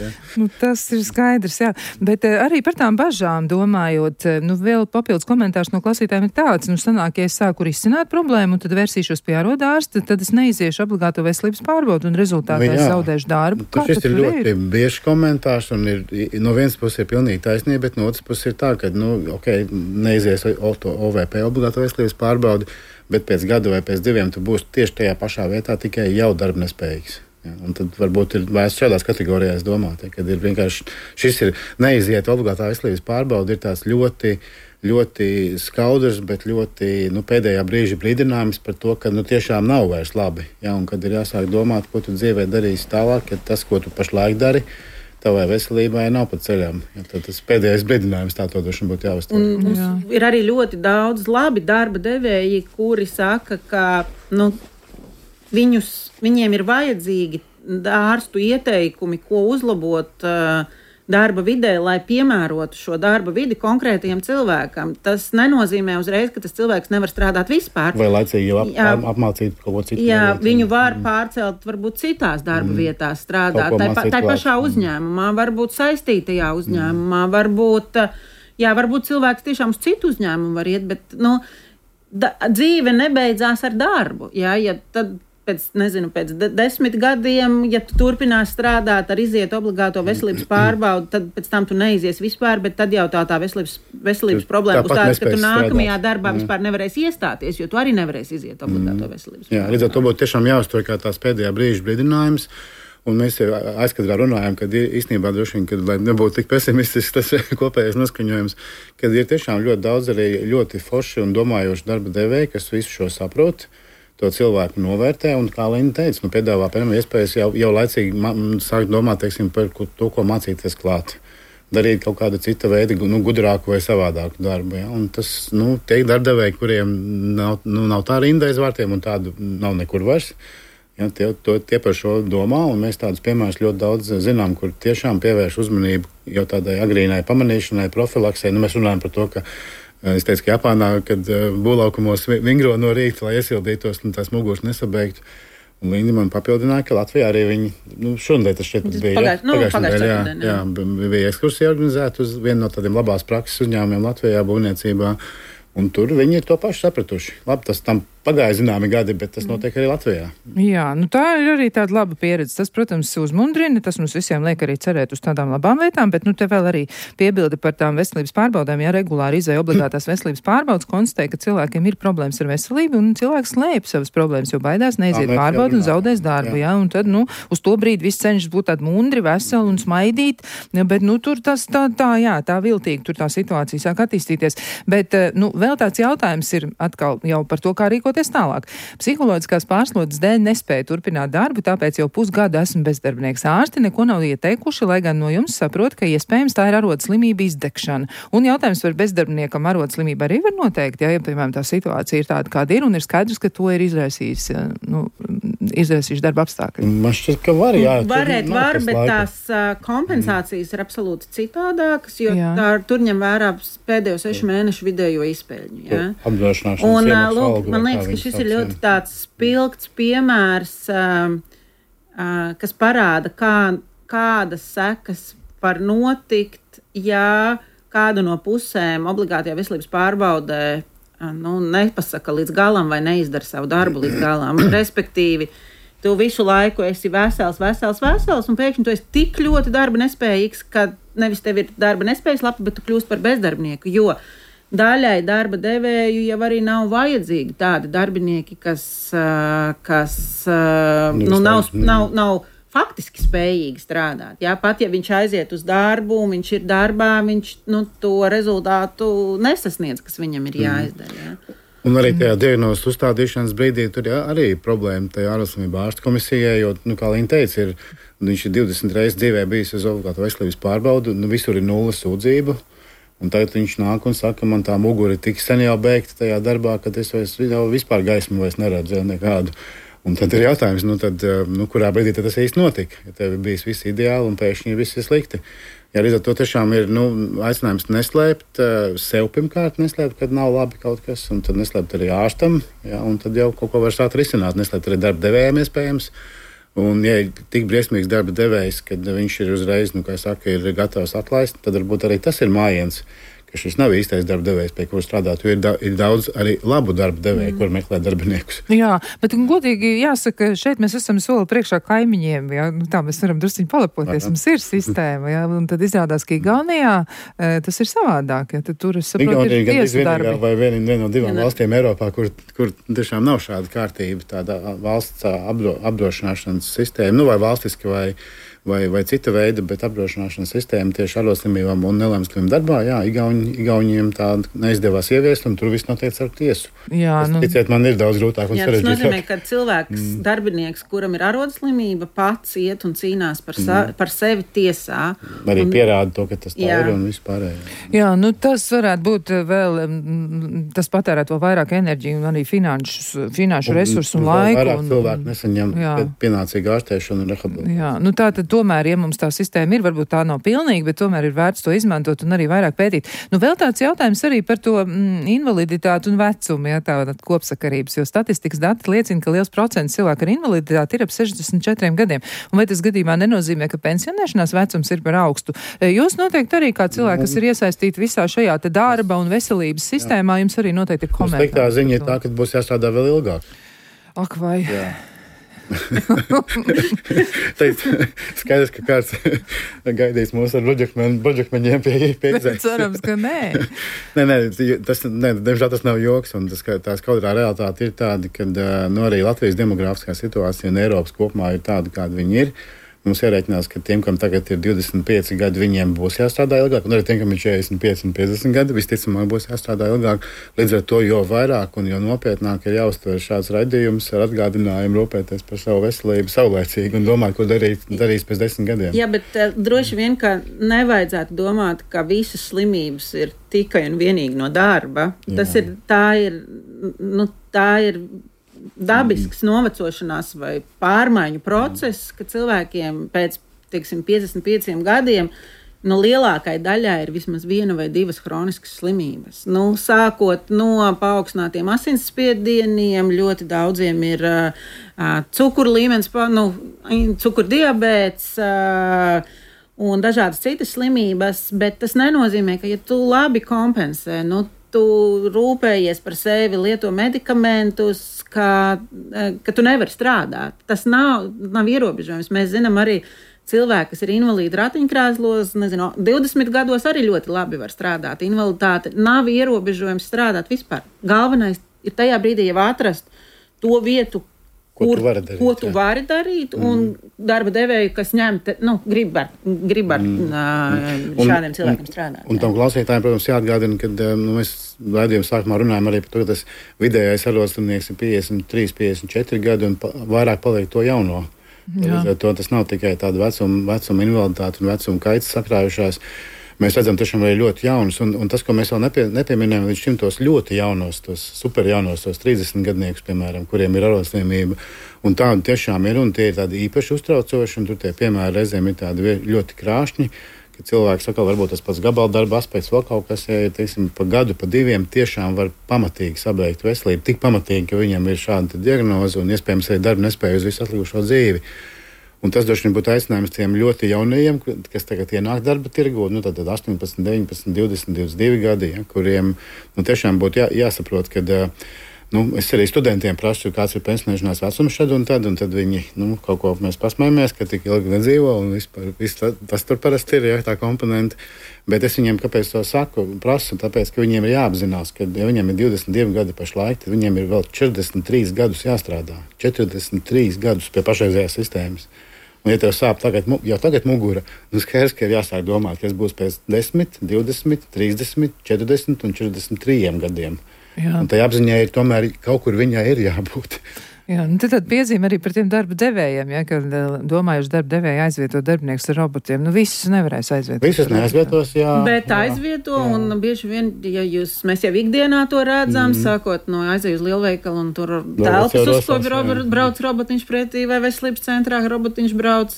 Tas ir skaidrs, jā. Bet arī par tām bažām domājot, vēl papildus komentārs no klausītājiem ir tāds, sanāk, ja es sāku risināt problēmu, un tad vērsīšos pie ārsta, tad es neiziešu obligāto veselības pārbaudu, un rezultātā es zaudēšu darbu. Šis ir ļoti bieži komentārs, un no vienas puses ir pilnīgi taisnība, bet no otras puses ir tā, ka, neizies OVP obligāto veselības pārbaudi, bet pēc gada vai pēc 2 tu būsi tieši tajā pašā vietā, tikai jau darbnespējīgs. Un tad varbūt ir vērts šādās kategorijās domāt, kad ir vienkārši šis ir neiziet obligātā veselības pārbauda, ir tās ļoti, ļoti skaudrs, bet ļoti pēdējā brīža brīdinājums par to, ka tiešām nav vairs labi. Un kad ir jāsāk domāt, ko tu dzīvē darīsi tālāk, ka tas, ko tu pašlaik dari, tavai veselībai nav pa ceļām. Tad tas pēdējais brīdinājums tā to droši būtu jāuztver. Ir arī ļoti daudz labi darba devēji, kuri saka, ka viņiem ir vajadzīgi ārstu ieteikumi, ko uzlabot darba vidē, lai piemērotu šo darba vidi konkrētajam cilvēkam. Tas nenozīmē uzreiz, ka tas cilvēks nevar strādāt vispār. Vai laicīgi jau apmācīt kaut ko citu. Viņu var pārcelt varbūt citās darba vietās strādāt. Tā pašā uzņēmumā, varbūt saistītajā uzņēmumā, varbūt cilvēks tiešām uz citu uzņēmumu var iet, bet dzīve nebeidzās ar darbu. Ja tad pēc 10 gadiem, ja tu turpinās strādāt ar iziet obligāto veselības pārbaudu, tad pēc tam tu neizies vispār, bet tad jau tā veselības problēma būs tāda, ka tu nākamajā darbā vispār nevarēsi iestāties, jo tu arī nevarēsi iziet obligāto veselības pārbaudu. Līdz ar to būtu tiešām jāuztver kā tās pēdējā brīža brīdinājums. Un mēs aizkadrā runājam, ka īstenībā droši vien, lai nebūtu tik pesimistisks tas kopējais noskaņojums, kad ir tiešām ļoti daudz arī ļoti forši un domājoši darba devēji, kas visu šo saprot, to cilvēku novērtē, un, kā Lina teica, piedāvā iespējas jau laicīgi sākt domāt, par to, ko mācīties klāt. Darīt kaut kādu citu veidu, gudrāku vai savādāku darbu. Ja? Un tas, tie darbadevēji, kuriem nav tā rinda aiz vārtiem, un tādu nav nekur vairs, ja? Tie par šo domā, un mēs tādus piemērus ļoti daudz zinām, kur tiešām pievērš uzmanību jau tādai agrīnai pamanīšanai, profilaksei. Mēs runājam par to, ka es teicu, ka Japānā, kad būvlaukumos vingro no rīta, lai iesildītos un tās muguras nesabeigtu. Un Linda man papildināja, ka Latvijā arī viņi, šodien tas šķiet bija. Bija ekskursija organizēta uz vienu no tādiem labās prakses uzņēmumiem Latvijā būvniecībā. Un tur viņi ir to pašu sapratuši. Labi, tas tam pagāja zināmi gadi, bet tas notiek arī Latvijā. Jā, tā ir arī tāda laba pieredze. Tas, protams, uzmundrina, tas mums visiem liek arī cerēt uz tādām labām lietām, bet te vēl arī piebilde par tām veselības pārbaudēm. Ja regulāri izēja obligātās veselības pārbaudas, konstatē, ka cilvēkiem ir problēmas ar veselību un cilvēks slēp savas problēmas, jo baidās neiziet pārbaudu un zaudēs darbu. Jā. Un tad, uz to brīdi viss cenšas būt tādi mundri, veseli un smaidīt, bet, tur tas tā viltīgi, tur tā situācija sāk attīstīties. Bet, vēl tāds jautājums ir atkal jau par to, kā rīkoties tālāk. Psiholoģiskās pārslodzes dēļ nespēja turpināt darbu, tāpēc jau pusgadu esmu bezdarbnieks. Ārsti neko nav ieteikuši, lai gan no jums saprot, ka iespējams tā ir arodas slimība izdegšana. Un jautājums par bezdarbniekam arodas slimību arī var noteikt, ja piemēram tā situācija ir tāda, kāda ir, un ir skaidrs, ka to ir izraisījis darba apstākļi. Man šķiet, ka var, jā. Var, bet tās kompensācijas ir absolūti citādākas, jo tur ņem vērā pēdējo 6 mēnešu vidējo izpēļņu. Ja? Un, man liekas, ka šis ir ļoti tāds spilgts piemērs, kas parāda, kādas sekas var notikt, ja kāda no pusēm obligātajā veselības pārbaudē nepasaka līdz galam vai neizdara savu darbu līdz galam. Respektīvi, tu visu laiku esi vesels, un pēkšņi tu esi tik ļoti darba nespējīgs, ka nevis tev ir darba nespējas lapa, bet tu kļūst par bezdarbnieku, jo daļai darba devēju jau arī nav vajadzīgi tādi darbinieki, kas nav faktiski spējīgi strādāt. Jā, pat ja viņš aiziet uz darbu un viņš ir darbā, viņš to rezultātu nesasniedz, kas viņam ir jāizdara. Jā. Un arī tajā diagnozes uzstādīšanas brīdī tur arī ir problēma tajā ārvalstslimību ārstu komisijai, jo, kā Līna teica, viņš ir 20 reizes dzīvē bijis uz obligātu veselības pārbaudu, visur ir 0 sūdzību. Un tagad viņš nāk un saka, man tā mugura ir tik sen jau beigta tajā darbā, ka es vispār gaismu vairs neredzu nekādu. Un tad ir jautājums, kurā brīdī tas īsti notika. Ja tev ir bijis viss ideāli un pēkšņi viss ir slikti. Ja līdz ar to tiešām ir aicinājums neslēpt, sev pirmkārt neslēpt, kad nav labi kaut kas, un tad neslēpt arī ārstam, ja, un tad jau kaut ko var sākt risināt, neslēpt arī darba devējiem iespējams. Un, ja ir tik briesmīgs darba devējs, kad viņš ir uzreiz, kā saka, ir gatavs atlaist, tad varbūt arī tas ir mājiens, ka šis nav īstais darba devējs, pie kura strādāt, jo ir daudz arī labu darba devēju, kur meklē darbiniekus. Jā, bet godīgi jāsaka, šeit mēs esam soli priekšā kaimiņiem, jā, tā mēs varam drusciņi palepoties, mums ir sistēma, jā, un tad izrādās, ka Igaunijā tas ir savādāk, jā, tad tur es saprotu, ir tiesu darbi. Vai viena no 2 valstīm Eiropā, kur tiešām nav šāda kārtība, tāda valsts apdrošināšanas sistēma, vai valstiski vai cita veida, bet apdrošināšanas sistēma tieši arodslimībām un nelēmslimību darbā, jā, Igauniem tāda neizdevās ieviest, un tur viss notiek ar tiesu. Jā, ticiet, man ir daudz grūtāk un sarežģītāk. Tas nozīmē, ka cilvēks, darbinieks, kuram ir arodslimība, pats iet un cīnās par sevi tiesā. Arī pierāda to, ka tas tā ir un vispārējā. Jā, tas varētu būt vēl, tas patērēt vēl vairāk enerģiju un arī finanšu resursu un laiku. Vairāk cilvēku nesaņem pienācīgu ārstēšanu un rehabilitāciju. Jā, tātad tomēr, ja mums tā sistēma ir, varbūt tā nav pilnīga, bet tomēr ir vērts to izmantot un arī vairāk pētīt. Vēl tāds jautājums arī par to invaliditāti un vecumu, ja tā kopsakarības, jo statistikas dati liecina, ka liels procents cilvēku ar invaliditāti ir ap 64 gadiem. Un vai tas gadījumā nenozīmē, ka pensionēšanās vecums ir par augstu? Jūs noteikti arī kā cilvēki, kas ir iesaistīti visā šajā te darba un veselības sistēmā, jums arī noteikti ir komentāri. Sliktā ziņa ir tā, ka būs jāstrādā vēl ilgāk. Ak, vai? Jā. Skaidrs, ka kāds gaidīs mūs ar buļģakmeņiem pie izējas. Cerams, ka nē. Diemžēl tas nav joks, un tā skaudrā realitāte ir tāda, ka arī Latvijas demogrāfiskā situācija un Eiropas kopumā ir tāda, kāda viņi ir. Mums jārēķinās, ka tiem, kam tagad ir 25 gadi, viņiem būs jāstrādā ilgāk, un arī tiem, kam ir 45 un 50 gadi, visticamāk būs jāstrādā ilgāk. Līdz ar to, jo vairāk un jo nopietnāk ir jāuztver šāds raidījums ar atgādinājumu rūpēties par savu veselību saulēcīgi un domāt, ko darīs pēc 10 gadiem. Jā, bet droši vien, ka nevajadzētu domāt, ka visas slimības ir tikai un vienīgi no darba. Tā ir dabisks novecošanās vai pārmaiņu process, ka cilvēkiem pēc, 55 gadiem, lielākai daļai ir vismaz 1 vai 2 hroniskas slimības. Sākot no paaugstinātiem asinsspiedieniem, ļoti daudziem ir cukuru līmenis, cukurdiabēts un dažādas citas slimības, bet tas nenozīmē, ka ja tu labi kompensē, tu rūpējies par sevi, lieto medikamentus, ka tu nevari strādāt. Tas nav ierobežojums. Mēs zinām arī cilvēki, kas ir invalīdi ratiņkrēslos, 20 gados arī ļoti labi var strādāt. Invaliditāte nav ierobežojums strādāt vispār. Galvenais ir tajā brīdī jau atrast to vietu, ko tu vari darīt, un darba devēju, kas grib ar šādiem cilvēkiem strādāt. Un tam klausītājiem, protams, jāatgādina, ka mēs raidījuma sākumā runājam arī par to, ka tas vidējais arodslimnieks ir 53, 54 gadi un vairāk paliek to jauno. Tas nav tikai tāda vecuma invaliditāte un vecuma kaitas sakrājušās. Mēs redzam tiešām arī ļoti jaunus, un tas, ko mēs vēl nepieminējam, līdz šim tos ļoti jaunos, tos super jaunos, tos 30 gadniekus, piemēram, kuriem ir arodslimība, un tādi tiešām ir, un tie ir tādi īpaši uztraucoši, un tur tie piemēri reizēm ir tādi ļoti krāšņi, ka cilvēks atkal varbūt tas pats gabaldarba aspekts vēl kaut kas, ja teiksim, pa gadu, pa diviem tiešām var pamatīgi sabeigt veselību, tik pamatīgi, ka viņam ir šāda diagnoze un iespējams arī darba nespēja uz visu atlikušo dzīvi. Un tas droši vien būtu aicinājums tiem ļoti jaunajiem, kas tagad ienāk darba tirgu, tad 18, 19, 20, 22 gadi, kuriem tiešām būtu jāsaprot, ka es arī studentiem prasu, kāds ir pensionēšanās vecums šad un tad viņi kaut ko mēs pasmējamies, ka tik ilgi nedzīvo un vispār tas tur parasti ir tā komponenta. Bet es viņiem, kāpēc to saku, prasu, tāpēc, ka viņiem ir jāapzinās, ka ja viņiem ir 22 gadi pašlaik, tad viņiem ir vēl 43 gadus jāstrādā. 43 gadus pie pašreizējās sistēmas. Un, ja tev sāp jau tagad mugura, skaidrs, ka ir jāsāk domāt, kas būs pēc 10, 20, 30, 40 un 43 gadiem. Jā. Un tai apziņai ir tomēr kaut kur viņai ir jābūt. Jā, tad piezīme arī par tiem darba devējiem, kad domājuši darba devēji aizvietot darbinieks ar robotiem. Visus nevarēs aizvietot. Visus neaizvietos, jā. Bet aizvieto, jā. Un bieži vien, ja mēs jau ikdienā to redzam, sākot no aizeju uz lielveikalu un tur telpas uzkopi brauc robotiņš pretī vai veselības centrā robotiņš brauc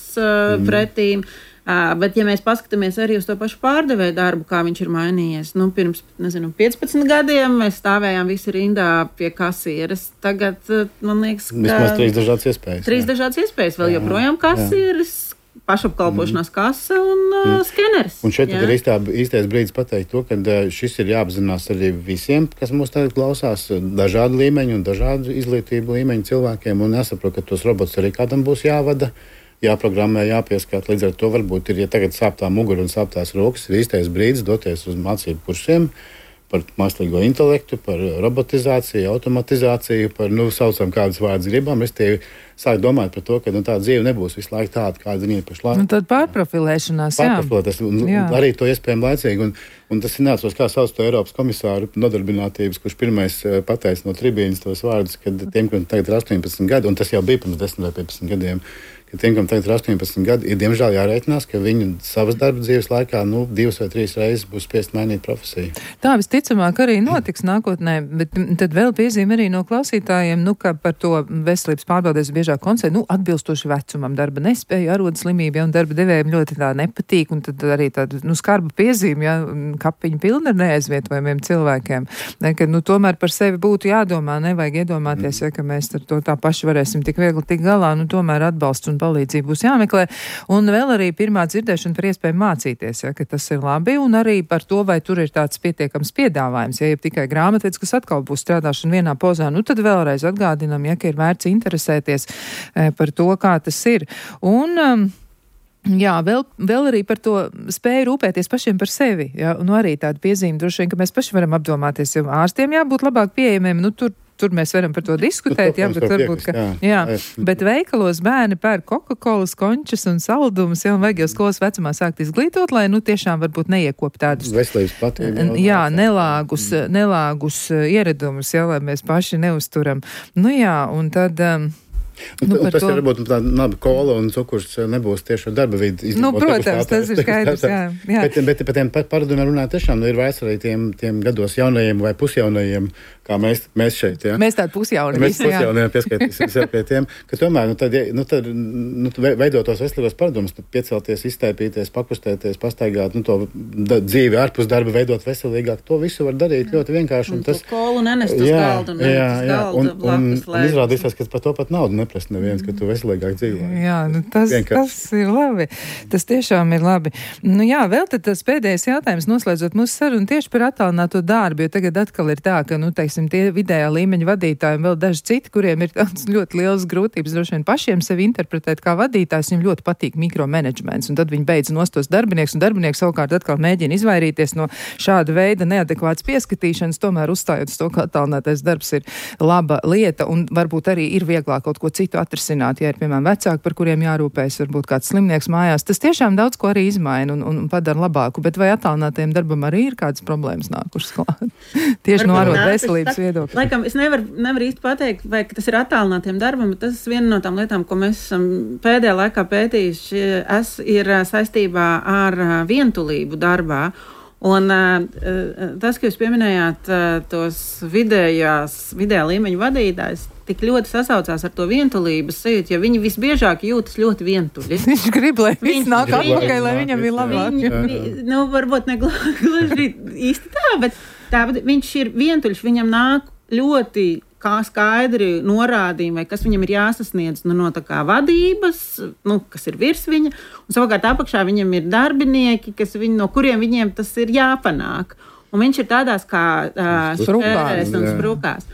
pretī. Bet, ja mēs paskatāmies arī uz to pašu pārdevēju darbu, kā viņš ir mainījies, pirms, 15 gadiem mēs stāvējām visi rindā pie kasieres. Tagad, man liekas, ka... Vismaz 3 dažādas iespējas. 3 dažādas iespējas, vēl joprojām kasieres, pašapkalpošanās kase un skeneris. Un šeit ir īstais brīdis pateikt to, ka šis ir jāapzinās arī visiem, kas mūs tagad klausās, dažādu līmeņu un dažādu izglītību līmeņu cilvēkiem, un jāsaprot, ka tos robotus arī kādam būs jāvada. Jāprogrammē, jāpieskāt. Līdz ar to varbūt ir, ja tagad sāp tā mugura un sāp tās rokas, ir īstais brīdis doties uz mācību kursiem par mākslīgo intelektu, par robotizāciju, automatizāciju, par, saucam kādus vārdus gribam. Es tie sāku domāt par to, ka tā dzīve nebūs visu laiku tāda, kāda viņa ir pašlaik. Tad pārprofilēšanās, jā. Arī to iespējami laicīgi. Un tas ir neatceros, kā sauc to Eiropas komisāru nodarbinātības, kurš pirmais pateica no tribīnas tos vārdus, kad tiem, kuriem tagad ir 18 gadi, un tas jau bija pirms 10 vai 15 gadiem, ka tiem, kam tagad ir 18 gadi, ir diemžēl jārēķinās, ka viņi savas darba dzīves laikā 2 vai 3 reizes būs spiest mainīt profesiju. Tā visticamāk arī notiks nākotnē, bet tad vēl piezīme arī no klausītājiem, ka par to veselības pārbaudēs biežāk koncentrē, atbilstoši vecumam, darba nespēja, arodslimība, un darba devējiem ļoti tā nepatīk, un tad arī tāda, skarba piezīme, kapiņa pilna ar neaizvietojumiem cilvēkiem. Ka, tomēr par sevi būtu jādomā, nevajag iedomāties, ka mēs ar to tā paši varēsim tik viegli tik galā, tomēr atbalsts un palīdzību būs jāmeklē. Un vēl arī pirmā dzirdēšana par iespēju mācīties, ka tas ir labi, un arī par to, vai tur ir tāds pietiekams piedāvājums, ja tikai grāmatvedis, kas atkal būs strādāšana vienā pozā, tad vēlreiz atgādinam, ka ir vērts interesēties par to, kā tas ir. Un jā, vēl arī par to spēju rūpēties pašiem par sevi. Jā, arī tāda piezīme droši vien, ka mēs paši varam apdomāties, jo ārstiem jābūt labāk pieejamiem. Tur mēs varam par to diskutēt, bet varbūt, bet veikalos bērni pērk Coca-Colas, končas un saldumus, un vajag jau skolas vecumā sākt izglītot, lai tiešām varbūt neiekop tādus veselības patību. Jā, nelāgus ieradumus, lai mēs paši neuzturam. Un tad... tas ir varbūt tāda laba kola un cukurs nebūs tieši ar darba vidi. Protams, tas ir skaidrs, jā. Bet par tiem paradumiem runāt tiešām ir vairs arī tiem gados jaunajiem vai pusjaunajiem, kā mēs šeit. Ja? Mēs tādi pusjauni. Mēs pusjauni pieskaitīsim sev pie tiem, ka tomēr tad veidot tos veselīgos paradumus, piecelties, iztaipīties, pakustēties, pastaigāt, to dzīvi ārpus darba veidot veselīgāk. To visu var darīt ļoti vienkārši. Un tas kolu nenest uz galdu. Un izrādīsies, ka par to pat naudu neprast neviens, ka tu veselīgāk dzīvo. Jā, tas ir labi. Tas tiešām ir labi. Vēl tad tas pēdējais jautājums, noslēdzot mūsu sarunu tieši par attālināto darbu, jo tagad atkal ir tā, ka, teiksim, tie vidējā līmeņa vadītāji un vēl daži citi, kuriem ir tāds ļoti liels grūtības droši vien pašiem sevi interpretēt kā vadītājs, viņiem ļoti patīk mikromanagements, un tad viņi beidz nostos darbinieks, un darbinieks savukārt atkal mēģina izvairīties no šāda veida neadekvātas pieskatīšanas, tomēr uzstājot uz to, ka attālinātais darbs ir laba lieta, un varbūt arī ir vieglāk kaut ko citu atrisināt, ja ir, piemēram, vecāki, par kuriem jārūpējas, varbūt kāds slimnieks mājās. Tas tiešām daudz ko arī izmaina un padara labāku, bet vai attālinātajiem darbam arī ir kādas problēmas nākušas klāt? Tieši no arot veselības viedokļa. Laikam, es nevaru īsti pateikt, vai tas ir attālinātiem darbam, bet tas viena no tām lietām, ko mēs esam pēdējā laikā pētījuši, ir saistībā ar vientulību darbā. Un tas, ka jūs pieminējāt tos vidējā līmeņa vadītājus, tik ļoti sasaucās ar to vientulības sajūtu, jo viņi visbiežāk jūtas ļoti vientuļi. Viņš grib, lai viss nāk atpakaļ, lai viņam ir labāk. Varbūt ne gluži īsti tā, bet viņš ir vientuļš, viņam nāk ļoti kā skaidri norādījumi, vai kas viņam ir jāsasniedz no tā kā vadības, kas ir virs viņa, un savukārt apakšā viņam ir darbinieki, no kuriem viņiem tas ir jāpanāk. Un viņš ir tādās kā sprukās un sprukās.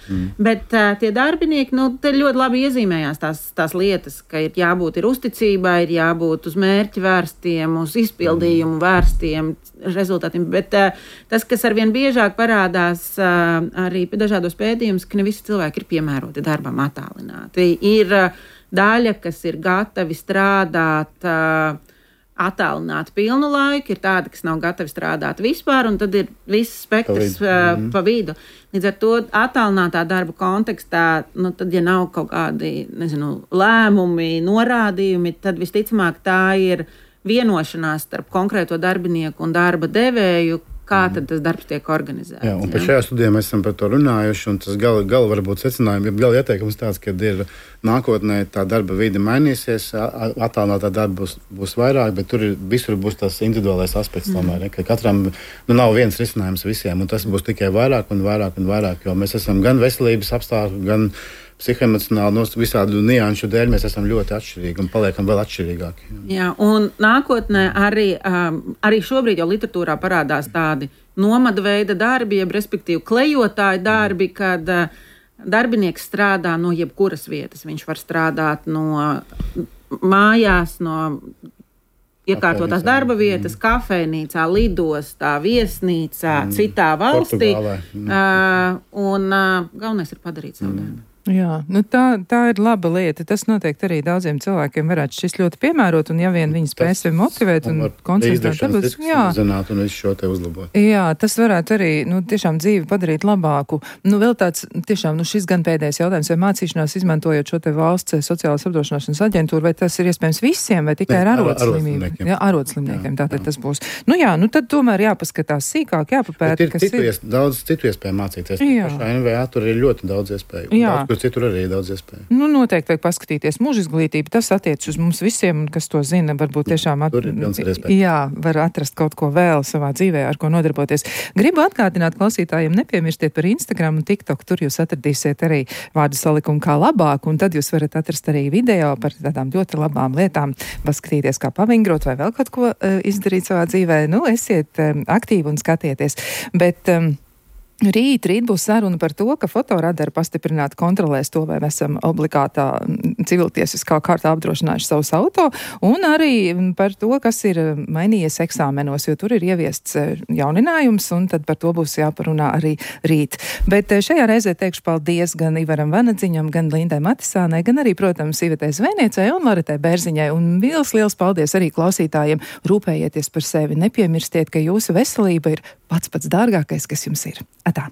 Bet tie darbinieki, te ļoti labi iezīmējās tās lietas, ka ir jābūt uzticībai, ir jābūt uz mērķi vērstiem, uz izpildījumu vērstiem rezultātiem. Bet tas, kas arvien biežāk parādās arī dažādos pētījumus, ka ne visi cilvēki ir piemēroti darbam attālināti. Ir daļa, kas ir gatavi strādāt attālināt pilnu laiku, ir tādi, kas nav gatavi strādāt vispār, un tad ir viss spektrs pa vidu. Līdz ar to attālinātā darba kontekstā, tad, ja nav kaut kādi, lēmumi, norādījumi, tad visticamāk tā ir vienošanās starp konkrēto darbinieku un darba devēju, kā tad tas darbs tiek organizēts. Jā, un par šajā studijā mēs esam par to runājuši, un tas gala varbūt secinājumi, gala ieteikums tāds, ka ir nākotnē tā darba vide mainīsies, attālinātā darba būs vairāk, bet tur visur būs tas individuālais aspekts tomēr, ka katram nav viens risinājums visiem, un tas būs tikai vairāk un vairāk un vairāk, jo mēs esam gan veselības apstākļi, gan psihoemocionāli, visādu nianšu dēļ mēs esam ļoti atšķirīgi un paliekam vēl atšķirīgāki. Jā, un nākotnē arī šobrīd jau literatūrā parādās tādi nomada veida darbi, jeb respektīvi klejotāju darbi, kad darbinieks strādā no jebkuras vietas. Viņš var strādāt no mājās, no iekārtotās darba vietas, kafejnīcā, lidostā, viesnīcā, citā valstī. Un galvenais ir padarīt savu darbu. Jā, tā ir laba lieta. Tas noteikti arī daudziem cilvēkiem varētu šis ļoti piemērot, un ja vien viņi spēs sevi motivēt un koncentrēt darbus, un visu šo te uzlabot. Jā, tas varētu arī, tiešām dzīvi padarīt labāku. Vēl tāds, tiešām, šis gan pēdējais jautājums, vai mācīšanās izmantojot šo te valsts sociālās apdrošināšanas aģentūru, vai tas ir iespējams visiem, vai tikai ar arodslimniekiem? Jā, arodslimniekiem, tātad tas būs. Tad tomēr jāpaskatās sīkāk, jāpapēta, kas ir. Daudz citu iespēju mācīties. Pašā NVA tur ir ļoti daudz iespēju. Citur arī ir daudz iespēju. Noteikti vajag paskatīties mūža izglītību. Tas attiec uz mums visiem, kas to zina. Varbūt tiešām var atrast kaut ko vēl savā dzīvē, ar ko nodarboties. Gribu atgādināt klausītājiem, nepiemirstiet par Instagram un TikTok. Tur jūs atradīsiet arī vārdu salikumu kā labāk, un tad jūs varat atrast arī video par tādām ļoti labām lietām. Paskatīties, kā pavingrot vai vēl kaut ko izdarīt savā dzīvē. Esiet aktīvi un skatieties. Bet Rīt būs saruna par to, ka fotoradari pastiprināti kontrolēs to, vai mēs esam obligātā civiltiesiskā kārtā apdrošinājuši savus auto, un arī par to, kas ir mainījies eksāmenos, jo tur ir ieviests jauninājums, un tad par to būs jāparunā arī rīt. Bet šajā reizē teikšu paldies gan Ivaram Vanadziņam, gan Lindai Matisānai, gan arī, protams, Ivetei Zvēniecei un Laritai Bērziņai, un liels paldies arī klausītājiem. Rūpējieties par sevi, nepiemirstiet, ka jūsu veselība ir pats dārgākais, kas jums ir. Atā!